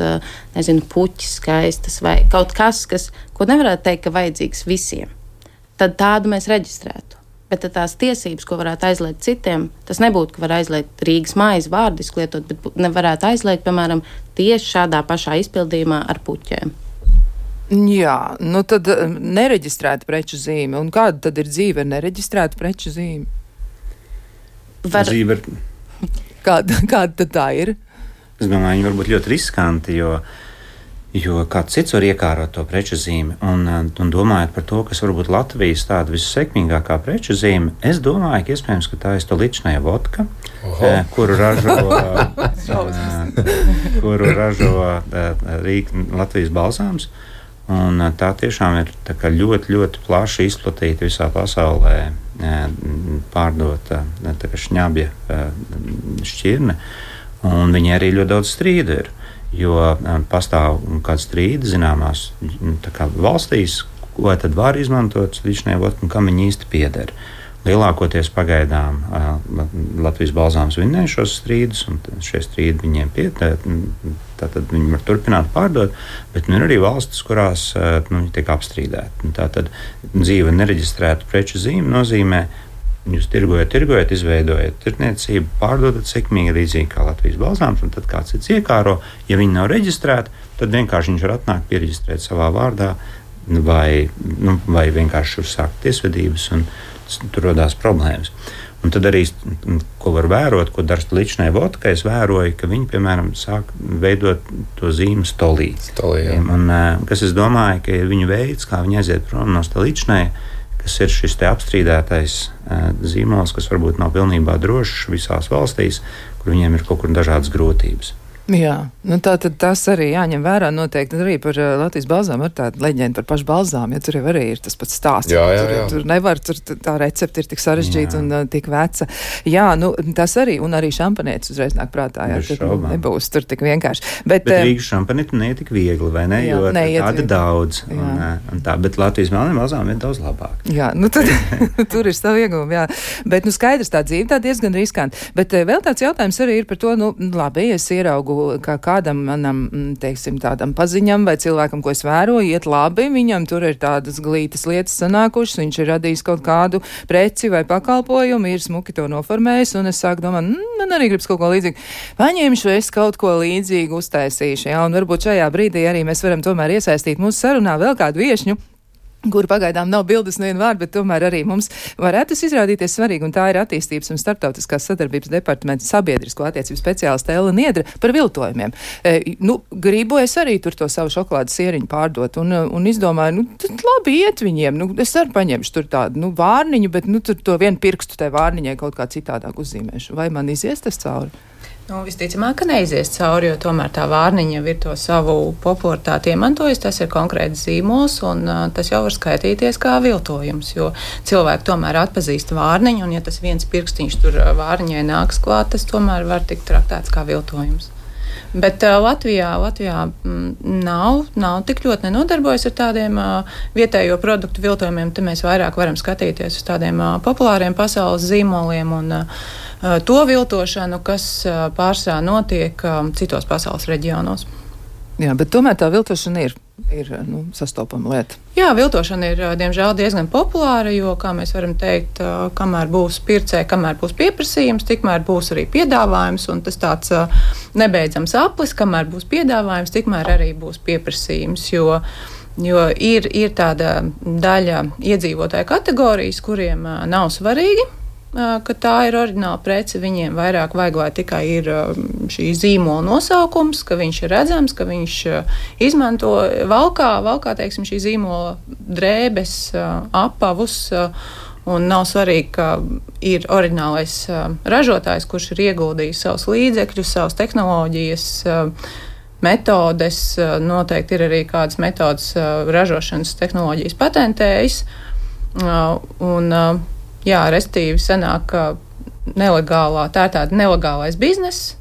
puķis skaistas vai kaut kas, ko nevarētu teikt, ka vajadzīgs visiem, tad tādu mēs reģistrētu. Bet tās tiesības, ko varētu aizliegt citiem, tas nebūtu, ka var aizliegt Rīgas maizi vārdiski lietot, bet nevarētu aizliegt, piemēram, tieši šādā pašā izpildījumā ar puķēm. Jā, tad nereģistrēta preču zīme. Un kāda tad ir dzīve ar nereģistrētu preču zīmi? Dzīve ir... Kāda tad tā ir? Es domāju, viņi var būt ļoti riskanti, jo kāds cits var iekārot to preču zīmi. Un domājot par to, kas varbūt Latvijas tāda vissekmīgākā preču zīme, es domāju, ka iespējams, ka tā ir Stoličnaja vodka, kuru ražo Latvijas balzāms. Un tā tiešām ir tā kā ļoti, ļoti plaši izplatīta visā pasaulē, pārdota šņabja šķirne, un viņi arī ļoti daudz strīdu ir, jo pastāv kāds strīdi zināmās valstīs, ko tad var izmantot līdzinēja vodka un kam viņi īsti pieder. Lielākoties pagaidām Latvijas balzāms vinnēja šos strīdus, un šie strīdi viņiem pieder, tātad viņi var turpināt pārdot, bet ir arī valstis, kurās tiek apstrīdēti. Tātad dzīve nereģistrēta preču zīme nozīmē, jūs tirgojat, izveidojat tirdzniecību, pārdodat sekmīgi, līdzīgi kā Latvijas balzāms, un tad kāds cits iekāro. Ja viņi nav reģistrēti, tad vienkārši viņš var atnākt piereģistrēt savā vārdā vai vienkārši uzsākt tiesvedības, un tur rodās problēmas. Un tad arī, ko var vērot, ko dara līdzinēja vodka, es vēroju, ka viņi, piemēram, sāk veidot to zīmu stolī. Un, kas es domāju, ka ir viņu veids, kā viņi aiziet prom no līdzinēja, kas ir šis te apstrīdētais zīmols, kas varbūt nav pilnībā drošs visās valstīs, kur viņiem ir kaut kur dažādas grūtības. Jā, tātad tas arī jāņem vērā noteikti arī par Latvijas balzām, ar tādu leģendu par pašu balzām, ja tur jau arī ir tas pats stāsts. Jā. Tur nevar, tā recepte ir tik sarežģīta un tik veca. Jā, tas arī, un arī šampanietis uzreiz nāk prātā, tad nebūs tur tik vienkārši. Bet Rīgas šampanīti neiet tik viegli, vai ne? Jo tāda daudz, un tā, bet Latvijas balzām ir daudz labāk. Jā, tur ir savu iegūmu, jā. Bet, skaidrs, tā dzīve tā diezgan riskanti. Bet vēl tāds jautājums arī ir par to, labi, es ieraugu, ka kādam manam, teiksim, tādam paziņam vai cilvēkam, ko es vēroju, iet labi, viņam tur ir tādas glītas lietas sanākušas, viņš ir radījis kaut kādu preci vai pakalpojumu, ir smuki to noformējis, un es sāku domāt, man arī gribas kaut ko līdzīgu. Paņemšu es kaut ko līdzīgu uztaisīšu, jā, un varbūt šajā brīdī arī mēs varam tomēr iesaistīt mūsu sarunā vēl kādu viešņu, kur pagaidām nav bildes nevienu vārdu, bet tomēr arī mums varētu tas izrādīties svarīgi, un tā ir attīstības un starptautiskās sadarbības departamenta sabiedrisko attiecību speciāliste Ella Niedre par viltojumiem. Gribu es arī tur to savu šokolādes sieriņu pārdot, un izdomāju, tad labi iet viņiem, es arī paņemšu tur tādu, vārniņu, bet, tur to vienu pirkstu tai vārniņai kaut kā citādāk uzzīmēšu. Vai man izies tas cauri? Visticamāk, ka neizies cauri, jo tomēr tā vārniņa ir to savu popularitāti iemantojusi. Tas ir konkrēts zīmols, un tas jau var skaitīties kā viltojums, jo cilvēki tomēr atpazīst vārniņu, un ja tas viens pirkstiņš tur vārniņai nāks klāt, tas tomēr var tikt traktēts kā viltojums. Bet Latvijā nav tik ļoti nenodarbojas ar tādiem vietējo produktu viltojumiem. Te mēs vairāk varam skatīties uz tādiem populāriem pasaules zīmoliem un to viltošanu, kas pārsvarā notiek citos pasaules reģionos. Jā, bet tomēr tā viltošana ir sastopama lieta. Jā, viltošana ir, diemžēl, diezgan populāra, jo, kā mēs varam teikt, kamēr būs pircēji, kamēr būs pieprasījums, tikmēr būs arī piedāvājums, un tas tāds nebeidzams aplis, kamēr būs piedāvājums, tikmēr arī būs pieprasījums, jo ir tāda daļa iedzīvotāju kategorijas, kuriem nav svarīgi, ka tā ir oriģināla prece, viņiem vairāk vajag, lai tikai ir šī zīmola nosaukums, ka viņš ir redzams, ka viņš izmanto valkā, teiksim, šī zīmola drēbes, apavus, un nav svarīgi, ka ir oriģinālais ražotājs, kurš ir ieguldījis savus līdzekļus, savas tehnoloģijas, metodes, noteikti ir arī kādas metodas ražošanas tehnoloģijas patentējis, jā, restīvi sanāk, ka tā ir tāda nelegālais bizness,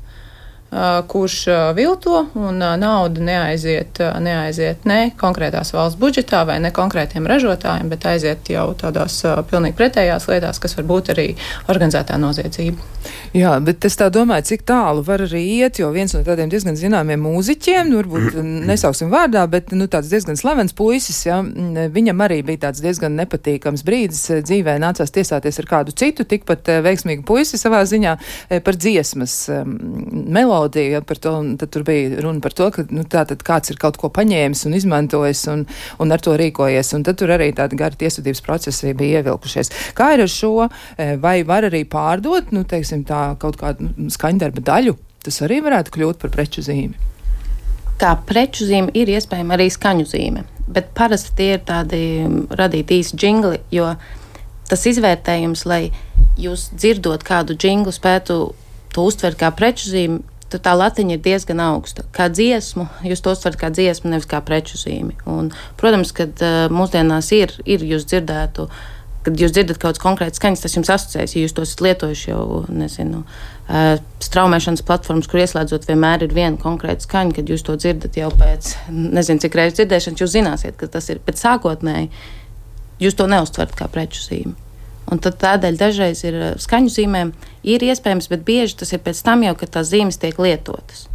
kurš vilto, un nauda neaiziet ne konkrētās valsts budžetā vai ne konkrētiem ražotājiem, bet aiziet jau tādās pilnīgi pretējās lietās, kas var būt arī organizētā noziedzība. Jā, bet es tā domāju, cik tālu var arī iet, jo viens no tādiem diezgan zināmiem mūziķiem, varbūt nesauksim vārdā, bet tāds diezgan slavens puisis, ja, viņam arī bija tāds diezgan nepatīkams brīdis dzīvē, nācās tiesāties ar kādu citu, tikpat veiksmīgu puisi savā ziņā par dziesmas melodiju, par to, un tad tur bija runa par to, ka tātad kāds ir kaut ko paņēmis un izmantojis un ar to rīkojies, un tad tur arī tāda gara tiesvedības procesi bija ievilkušies. Kā ir ar šo, vai var arī pārdot, teiksim, tā kaut kādu skaņdarba daļu, tas arī varētu kļūt par preču zīmi? Kā preču zīme ir iespējama arī skaņu zīme, bet parasti tie ir tādi radīti īsi džingli, jo tas izvērtējums, lai jūs dzirdot kādu džinglu spētu to uztvert kā preču zīmi, tad tā latiņa ir diezgan augsta. Kā dziesmu, jūs to uztverat kā dziesmu, nevis kā preču zīmi. Un, protams, kad mūsdienās ir jūs dzirdētu kad jūs dzirdat kaut kāds konkrēts skaņas, tas jums asociēs, ja jūs tos lietojuši jau, nezinu, straumēšanas platformas, kur ieslēdzot vienmēr ir viena konkrēta skaņa, kad jūs to dzirdat jau pēc, nezinu, cik reizes dzirdēšanas, jūs zināsiet, ka tas ir, bet sākotnēji jūs to neuztverat kā preču zīmi. Un tad tādēļ dažreiz ir skaņu zīmēm ir iespējams, bet bieži tas ir pēc tam jau, kad tās zīmes tiek lietotas.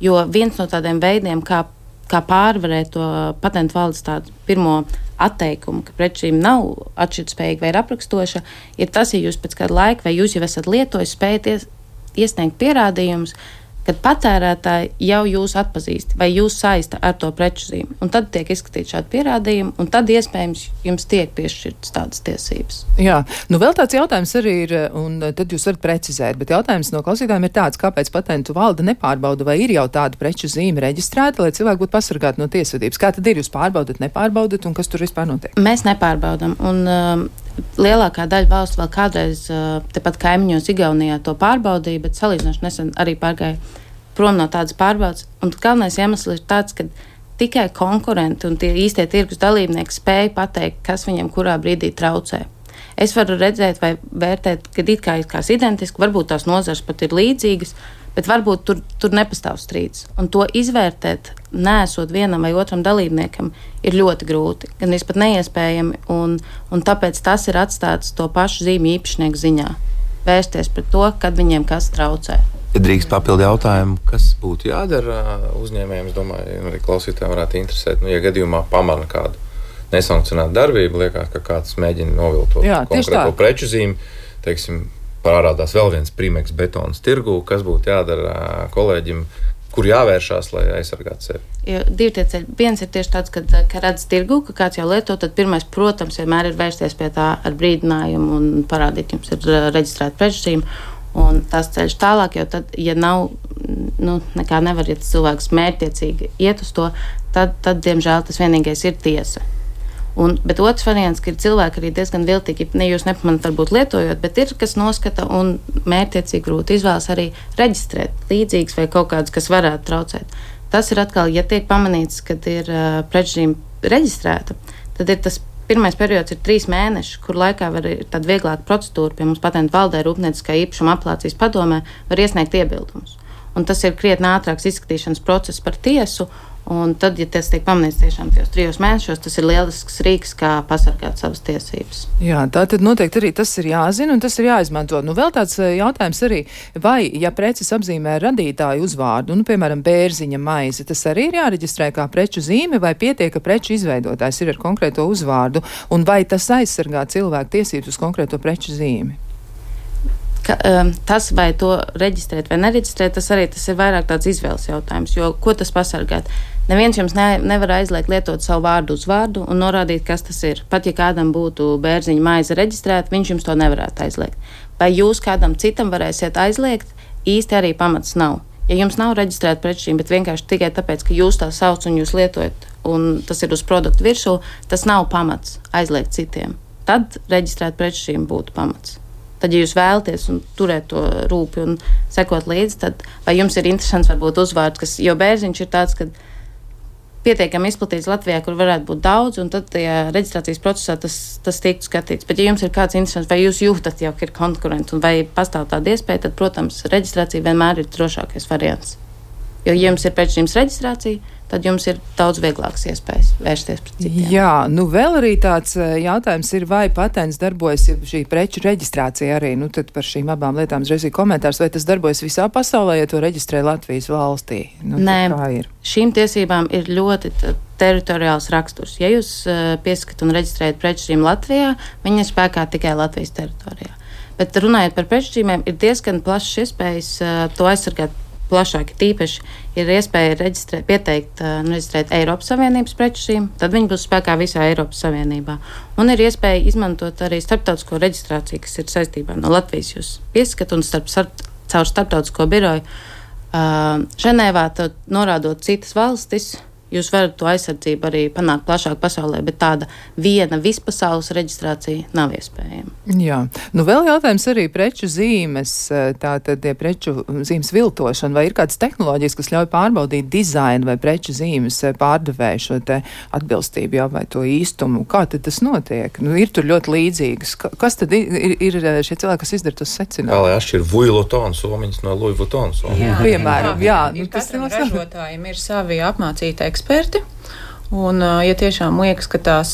Jo viens no tādiem veidiem, kā pārvarēt to patentu valdes tādu pirmo atteikumu, ka prečīm nav atšķirtspējīga vai ir aprakstoša, ir tas, ja jūs pēc kāda laika vai jūs jau esat lietojis, spējat iesniegt pierādījumus, kad patērētāji jau jūs atpazīst vai jūs saista ar to preču zīmi. Un tad tiek izskatīt šādi pierādījumi, un tad iespējams jums tiek piešķirtas tādas tiesības. Jā, vēl tāds jautājums arī ir, un tad jūs varat precizēt, bet jautājums no klausītājiem ir tāds, kāpēc patentu valde nepārbauda, vai ir jau tāda preču zīme reģistrēta, lai cilvēki būtu pasargāti no tiesvedības. Kā tad ir, jūs pārbaudat, nepārbaudat, un kas tur vispār notiek? Mēs nepārbaudam, un lielākā daļa valsts vēl kādreiz tepat kaimiņos Igaunijā to pārbaudīja, bet salīdzinoši nesen arī pārgāja prom no tādas pārbaudas. Un galvenais iemesls ir tāds, ka tikai konkurenti un tie īstie tirgus dalībnieki spēja pateikt, kas viņiem kurā brīdī traucē. Es varu redzēt vai vērtēt, ka it kā ir identiski, varbūt tās nozars pat ir līdzīgas, bet varbūt tur nepastāv strīds. Un to izvērtēt, neesot vienam vai otram dalībniekam, ir ļoti grūti, gan pat neiespējami, un tāpēc tas ir atstāts to pašu zīmju īpašnieku ziņā. Vērsties pret to, kad viņiem kas traucē. Ja drīkst papildu jautājumu, kas būtu jādara uzņēmējiem, es domāju, arī klausītājiem varētu interesēt, ja gadījumā pamana kādu nesankcionētu darbību, liekas, ka kāds mēģina noviltot konkrēto preču zīmi, teiksim, parādās vēl viens Primeks betons tirgū, kas būtu jādara kolēģim, kur jāvēršās, lai aizsargātu sevi? Divi tie ceļi. Viens ir tieši tāds, ka redz tirgū, ka kāds jau lieto, tad pirmais, protams, vienmēr ir vērsties pie tā ar brīdinājumu un parādīt, jums ir reģistrēta preču zīme. Un tas ceļš tālāk, jo tad, ja nav, nekā nevar, ja tas cilvēks mērķtiecīgi iet uz to, tad diemžēl, tas vienīgais ir tiesa. Bet otrs variants, ka ir cilvēki arī diezgan viltīgi, ne jūs nepamanat varbūt lietojot, bet ir, kas noskata un mērķtiecīgi grūti izvēlas arī reģistrēt līdzīgas vai kaut kādas, kas varētu traucēt. Tas ir atkal, ja tiek pamanīts, kad ir preču zīme reģistrēta, tad ir tas pirmais periods ir 3 mēneši, kur laikā var ir tāda vieglāka procedūra, pie mums patentu valdē Rūpnieciskā īpašuma apelācijas padomē var iesniegt iebildumus. Un tas ir krietni ātrāks izskatīšanas process par tiesu, un tad, ja tas tiek pamanīts tiešām tajos 3 mēnešos, tas ir lielisks rīks, kā pasargāt savas tiesības. Jā, tā tad noteikti arī tas ir jāzina un tas ir jāizmanto. Vēl tāds jautājums arī, vai, ja preces apzīmē radītāju uzvārdu, piemēram, bērziņa maize, tas arī ir jāreģistrē kā preču zīme, vai pietiek, ka preču izveidotājs ir ar konkrēto uzvārdu, un vai tas aizsargā cilvēku tiesības uz konkrēto preču zīmi? Tas, vai to reģistrēt vai nereģistrēt, tas ir vairāk tāds izvēles jautājums, jo ko tas pasargāt? Neviens jums nevar aizliegt lietot savu vārdu uzvārdu un norādīt, kas tas ir. Pat ja kādam būtu bērziņa maize reģistrēta, viņš jums to nevarētu aizliegt. Vai jūs kādam citam varēsiet aizliegt, īsti arī pamats nav. Ja jums nav reģistrēta preču zīme, bet vienkārši tikai tāpēc, ka jūs tā sauc un jūs lietojat, un tas ir uz produktu virsū, tas nav pamats aizliegt citiem. Tad reģistrēta preču zīme būtu pamats. Tad, ja jūs vēlaties un turēt to rūpi un sekot līdzi, tad vai jums ir interesants varbūt uzvārds, jo bērziņš ir tāds, ka pietiekami izplatīts Latvijā, kur varētu būt daudz, un tad tajā reģistrācijas procesā tas tiktu skatīts. Bet, ja jums ir kāds interesants, vai jūs jūtat jau, ka ir konkurenti, un vai pastāv tāda iespēja, tad, protams, reģistrācija vienmēr ir drošākais variants. Jo, ja jums ir preču reģistrācija, tad jums ir daudz vieglākas iespējas vērsties pret citiem. Jā, vēl arī tāds jautājums ir, vai patents darbojas, ja šī preču reģistrācija arī, tad par šīm abām lietām uzreiz ir komentārs, vai tas darbojas visā pasaulē, ja to reģistrē Latvijas valstī? Nē, šīm tiesībām ir ļoti teritoriāls raksturs. Ja jūs pieskat un reģistrējat preču zīmi Latvijā, viņi ir spēkā tikai Latvijas teritorijā. Bet runājot par preču zīmēm, ir diezgan plašas iespējas to aizsargāt plašāk. Tīpaši ir iespēja pieteikt un reģistrēt Eiropas Savienības preču zīmi, tad viņi būs spēkā visā Eiropas Savienībā. Un ir iespēja izmantot arī starptautisko reģistrāciju, kas ir saistībā no Latvijas. Jūs pieskat un caur starptautisko biroju Ženēvā, norādot citas valstis, Jūs varat to aizsardzību arī panākt plašāk pasaulē, bet tāda viena vispasaules reģistrācija nav iespējama. Jā. Nu, vēl jautājums arī preču zīmes, tātad preču zīmes viltošana, vai ir kādas tehnoloģijas, kas ļauj pārbaudīt dizainu vai preču zīmes pārdevēju šo te atbilstību, jā, vai to īstumu? Kā tad tas notiek? Nu, ir tur ļoti līdzīgas. Kas tad ir šie cilvēki, kas izdara tos secinājumus? Kā lai atšķir Louis Vuitton somiņas no Louis Vuitton somiņas? Piemēram, jā. Katram ražotājiem ir savi apmācīti eksperti. Un, ja tiešām liekas, ka tās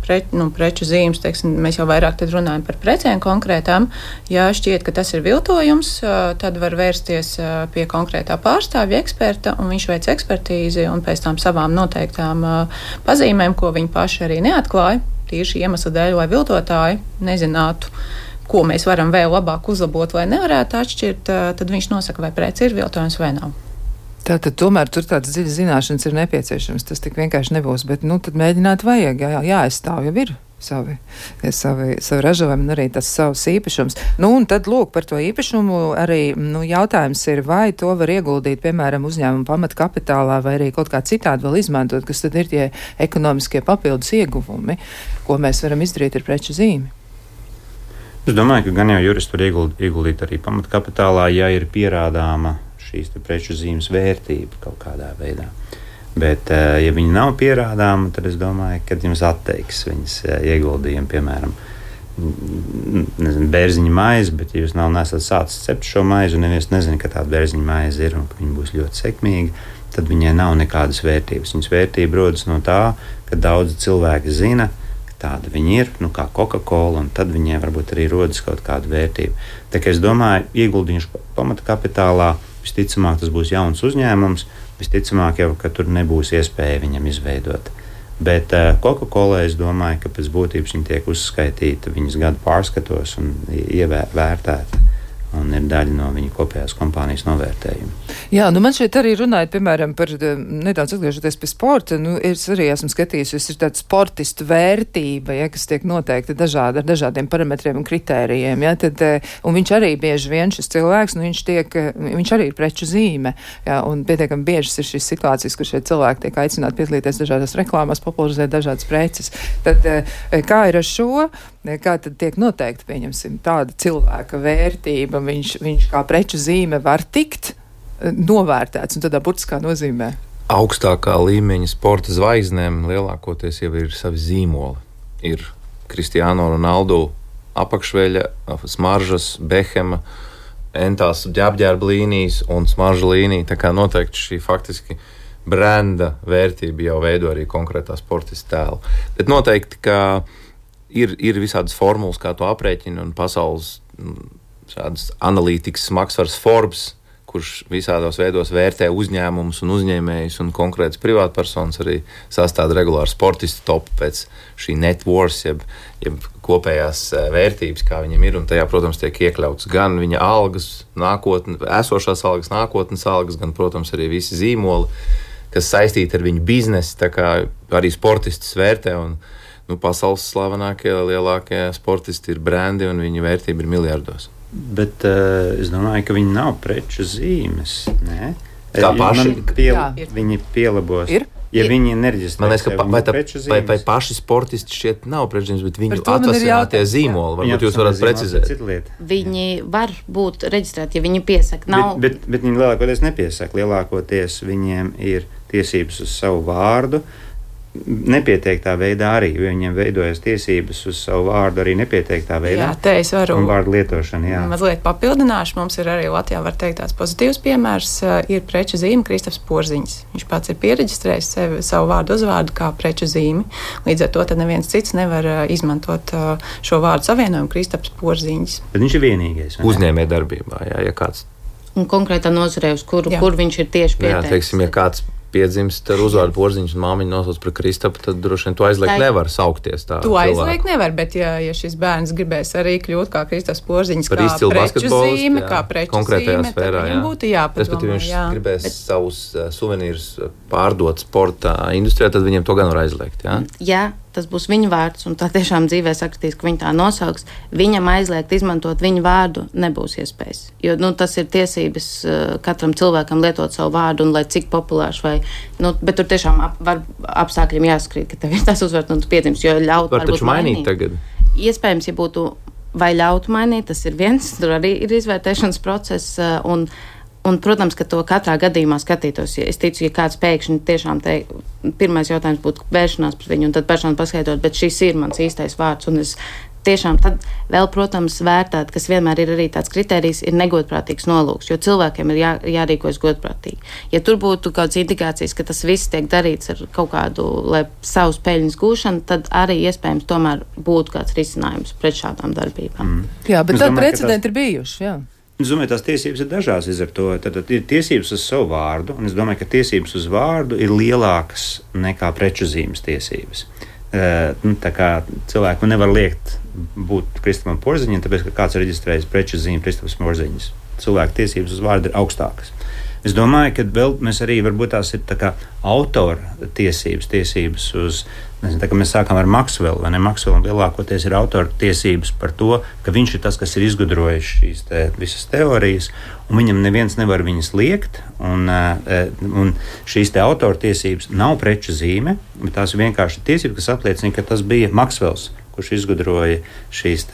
preču zīmes, teiksim, mēs jau vairāk tad runājam par precēm konkrētām, ja šķiet, ka tas ir viltojums, tad var vērsties pie konkrētā pārstāvja eksperta, un viņš veic ekspertīzi, un pēc tam savām noteiktām pazīmēm, ko viņi paši arī neatklāja, tieši iemesla dēļ, lai viltotāji nezinātu, ko mēs varam vēl labāk uzlabot, vai nevarētu atšķirt, tad viņš nosaka, vai prece ir viltojums vai nav. Tātad tomēr tur tādas dziļas zināšanas ir nepieciešams. Tas tik vienkārši nebūs, bet tad mēģināt vajag, jāaizstāv jau ir savi ražojumi un arī tas savs īpašums. Un tad lūk par to īpašumu arī jautājums ir, vai to var ieguldīt, piemēram, uzņēmuma pamatkapitālā vai arī kaut kā citādi vēl izmantot, kas tad ir tie ekonomiskie papildus ieguvumi, ko mēs varam izdarīt ar preču zīmi. Es domāju, ka gan jau juristi var ieguldīt arī pamatkapitālā, ja ir pierādāma šīs preču zīmes vērtība kaut kādā veidā. Bet, ja viņi nav pierādāmi, tad es domāju, ka jums atteiks viņas ieguldījumu, piemēram, bērziņa maize, bet ja jūs nesat sācis cept šo maizi un neviens nezina, ka tāda bērziņa maize ir un ka viņa būs ļoti sekmīga, tad viņai nav nekādas vērtības. Viņas vērtība rodas no tā, ka daudzi cilvēki zina, ka tāda viņa ir, kā Coca-Cola, un tad viņai varbūt arī rodas kaut kāda vērtība. Tā kā es domāju, ieguldījuši pamata kapitālā, visticamāk tas būs jauns uzņēmums, visticamāk jau, ka tur nebūs iespēja viņam izveidot. Bet Coca-Cola, es domāju, ka pēc būtības viņi tiek uzskaitīti viņas gadu pārskatos un ievērtēti. Un ir daļa no viņa kopējās kompānijas novērtējuma. Jā, man šeit arī runājot, piemēram, par nedaudz atgriežoties pie sporta, es arī esmu skatījusies, ir tāda sportistu vērtība, kas tiek noteikti ar dažādiem parametriem un kritērijiem, un viņš arī bieži vien šis cilvēks, viņš arī ir preču zīme, un pietiekami biežas ir šīs situācijas, kur šie cilvēki tiek aicināti piedalīties dažādās reklāmās, popularizēt dažādas preces. Tad kā ir ar šo? Kā tad tiek noteikti, pieņemsim, tāda cilvēka vērtība, viņš kā preču zīme var tikt novērtēts un tādā burtiskā nozīmē? Augstākā līmeņa sporta zvaigznēm lielākoties jau ir savi zīmoli. Ir Cristiano Ronaldo apakšveļa, smaržas, Behema, entās ģērbģērba līnijas un smarža līnija. Tā kā noteikti šī faktiski brenda vērtība jau veido arī konkrētā sportista tēlu. Bet noteikti, ka ir visādas formulas, kā to aprēķina, un pasaules šādas analītikas smagsvars Forbes, kurš visādos veidos vērtē uzņēmumus un uzņēmējus un konkrētas privātpersonas, arī sastāda regulāri sportistu topu pēc šī net worth, jeb kopējās vērtības, kā viņam ir, un tajā, protams, tiek iekļauts gan viņa algas, esošās algas, nākotnes algas, gan, protams, arī visi zīmoli, kas saistīti ar viņu biznesu, tā kā arī sportistus vērtē, un pasaules slavenākie, lielākie sportisti ir brendi, un viņa vērtība ir miljardos. Bet es domāju, ka viņi nav preču zīmes. Nē? Kā paši? Viņi pielabos. Ja viņi nereģistrē preču zīmes. Vai paši sportisti šķiet nav preču zīmes, bet viņu atvasinātie zīmoli, varbūt jūs varat precizēt. Viņi var būt reģistrēti, ja viņi piesaka. Bet viņi lielākoties nepiesaka. Lielākoties viņiem ir tiesības uz savu vārdu. Nepieteiktā veidā arī, jo viņiem veidojas tiesības uz savu vārdu arī nepieteiktā veidā. Jā, te es varu un vārdu lietošanu, jā. Mazliet papildināšu. Mums ir arī Latvijā, var teikt, tāds pozitīvs piemērs. Ir preču zīme Kristofs Porziņš. Viņš pats ir piereģistrējis savu vārdu uzvārdu kā preču zīmi. Līdz ar to tad neviens cits nevar izmantot šo vārdu savienojumu Kristofs Porziņš. Bet viņš ir vienīgais. Uzņēmē darbībā, ja kāds. Un konkrētā nozarē, uz kur viņš ir tieši pieteicis. Jā, teiksim, ja kāds piedzimst ar uzvārdu Porziņš un māmiņu nosauc par Kristapu, tad droši vien to aizliegt nevar saukties tā. To aizliegt nevar, bet ja šis bērns gribēs arī kļūt kā Kristaps Porziņš, par kā preču zīme, konkrētajā sfērā, tad viņam būtu jāpadomā. Respektīvi, viņš gribēs savus suvenīrus pārdot sporta industrijā, tad viņiem to gan var aizliegt, jā? Ja tas būs viņa vārds, un tā tiešām dzīvē sakritīs, ka viņa tā nosauks, viņam aizliegt izmantot viņa vārdu nebūs iespējas. Jo tas ir tiesības katram cilvēkam lietot savu vārdu, un lai cik populārs vai, bet tur tiešām var apstākļiem jāskrīt, ka tev ir tas uzvārds, un tu piedzimst, jo ļaut var taču mainīt tagad. Iespējams, ja būtu vai ļautu mainīt, tas ir viens, tur arī ir izvērtēšanas process, un, protams, ka to katrā gadījumā skatītos. Es ticu, ja kāds pēkšņi tiešām pirmais jautājums būtu vēršanās pret viņu, un tad personu paskaidrot, bet šis ir mans īstais vārds, un es tiešām tad vēl, protams, vērtēt, kas vienmēr ir arī tāds kriterijs, ir negodprātīgs nolūks, jo cilvēkiem ir jārīkojas godprātīgi. Ja tur būtu kādas indikācijas, ka tas viss tiek darīts ar kaut kādu, lai savus peļņas gūšanu, tad arī iespējams tomēr būtu kāds risinājums pret šādām darbībām. Jā, bet tad precedenti ir bijuši, jā. Es domāju, tās tiesības ir dažādas līdz ar to. Tad ir tiesības uz savu vārdu, un es domāju, ka tiesības uz vārdu ir lielākas nekā preču zīmes tiesības. Tā kā cilvēku nevar liekt būt Kristupam Porziņam, tāpēc, ka kāds reģistrējas preču zīmi Kristups Porziņas. Cilvēku tiesības uz vārdu ir augstākas. Es domāju, ka vēl mēs arī varbūt tās ir tā kā autora tiesības uz, nezinu, tā kā mēs sākam ar Maksvelu, vai ne? Maksvelam lielākoties ir autora tiesības par to, ka viņš ir tas, kas ir izgudrojis šīs visas teorijas, un viņam neviens nevar viņas liekt, un šīs autora tiesības nav preču zīme, bet tās ir vienkārši tiesības, kas apliecina, ka tas bija Maksvels, kurš izgudroja šīs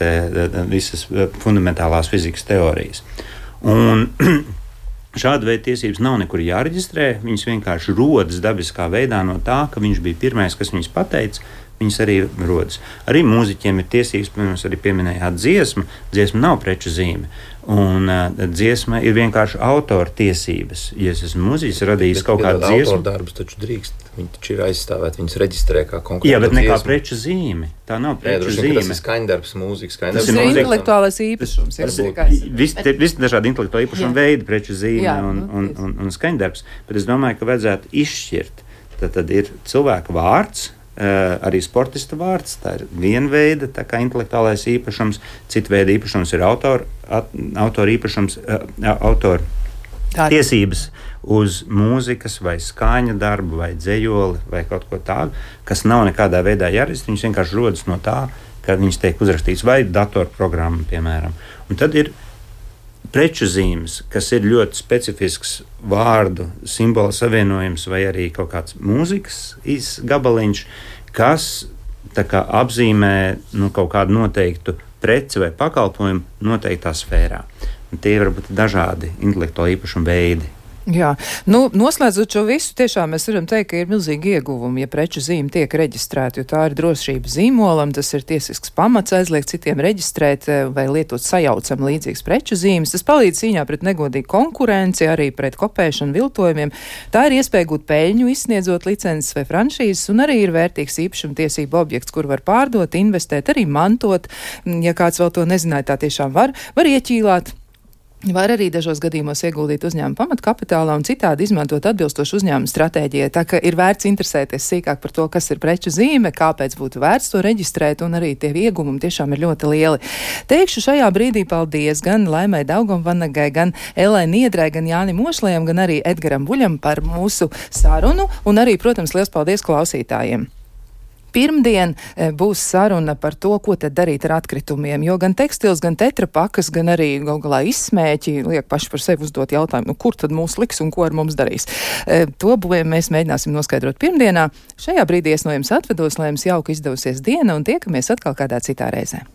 visas fundamentālās fizikas teorijas. Un šāda veida tiesības nav nekur jāreģistrē, viņas vienkārši rodas dabiskā veidā no tā, ka viņš bija pirmais, kas viņas pateica, viņas arī rodas. Arī mūziķiem ir tiesības, piemēram, arī pieminējāt dziesma nav preču zīme, un dziesma ir vienkārši autora tiesības. Ja es esmu mūziķis, radījis kaut kādu dziesmu. Autora darbus taču drīkst, viņi taču ir aizstāvēti, viņas reģistrē kā konkrētu dziesmu. Jā, bet ne kā preču zīme. Tā nav preču zīme. Tas ir skaņdarbs, mūzikas skaņdarbs. Tas ir intelektuālais īpašums. Visi dažādi intelektuāli īpašumi veidi, preču zīme un skaņdarbs, bet es domāju, ka vajadzētu izšķirt. Tad ir cilvēka vārds, arī sportista vārds, tā ir viena veida intelektuālais īpašums, cita veida īpašums ir autora īpašums, autora tiesības uz mūzikas vai skaņa darbu vai dzejoli vai kaut ko tādu, kas nav nekādā veidā jāreģistrē, viņas vienkārši rodas no tā, ka viņas tiek uzrakstīts vai datorprogramma, piemēram. Un tad ir preču zīmes, kas ir ļoti specifisks vārdu simbolu savienojums vai arī kaut kāds mūzikas gabaliņš, kas apzīmē kaut kādu noteiktu preci vai pakalpojumu noteiktā sfērā. Un tie var būt dažādi intelektuāli īpašumu veidi. Jā, noslēdzot šo visu, tiešām mēs varam teikt, ka ir milzīgi ieguvumi, ja preču zīme tiek reģistrēta, jo tā ir drošība zīmolam, tas ir tiesisks pamats aizliegt citiem reģistrēt vai lietot sajaucam līdzīgas preču zīmes. Tas palīdz cīņā pret negodīgu konkurenci, arī pret kopēšanu, viltojumiem. Tā ir iespēja gūt peļņu, izsniedzot licences vai franšīzes, un arī ir vērtīgs īpašumtiesību objekts, kur var pārdot, investēt, arī mantot. Ja kāds vēl to nezināja, tā tiešām var ieķīlāt. Var arī dažos gadījumos ieguldīt uzņēmuma pamatkapitālā un citādi izmantot atbilstošu uzņēmuma stratēģijai. Tā ka ir vērts interesēties sīkāk par to, kas ir preču zīme, kāpēc būtu vērts to reģistrēt, un arī tie ieguvumi tiešām ir ļoti lieli. Teikšu šajā brīdī paldies gan Laimai Daugavvanagai, gan Ellai Niedrai, gan Jānim Ošlējam, gan arī Edgaram Buļam par mūsu sarunu, un arī, protams, liels paldies klausītājiem. Pirmdien būs saruna par to, ko tad darīt ar atkritumiem, jo gan tekstils, gan tetrapakas, gan arī galā izsmēķi liek paši par sevi uzdot jautājumu, kur tad mūs liks un ko ar mums darīs. To mēs mēģināsim noskaidrot pirmdienā. Šajā brīdī es no jums atvedos, lai jums jauka izdevusies diena un tiekamies atkal kādā citā reizē.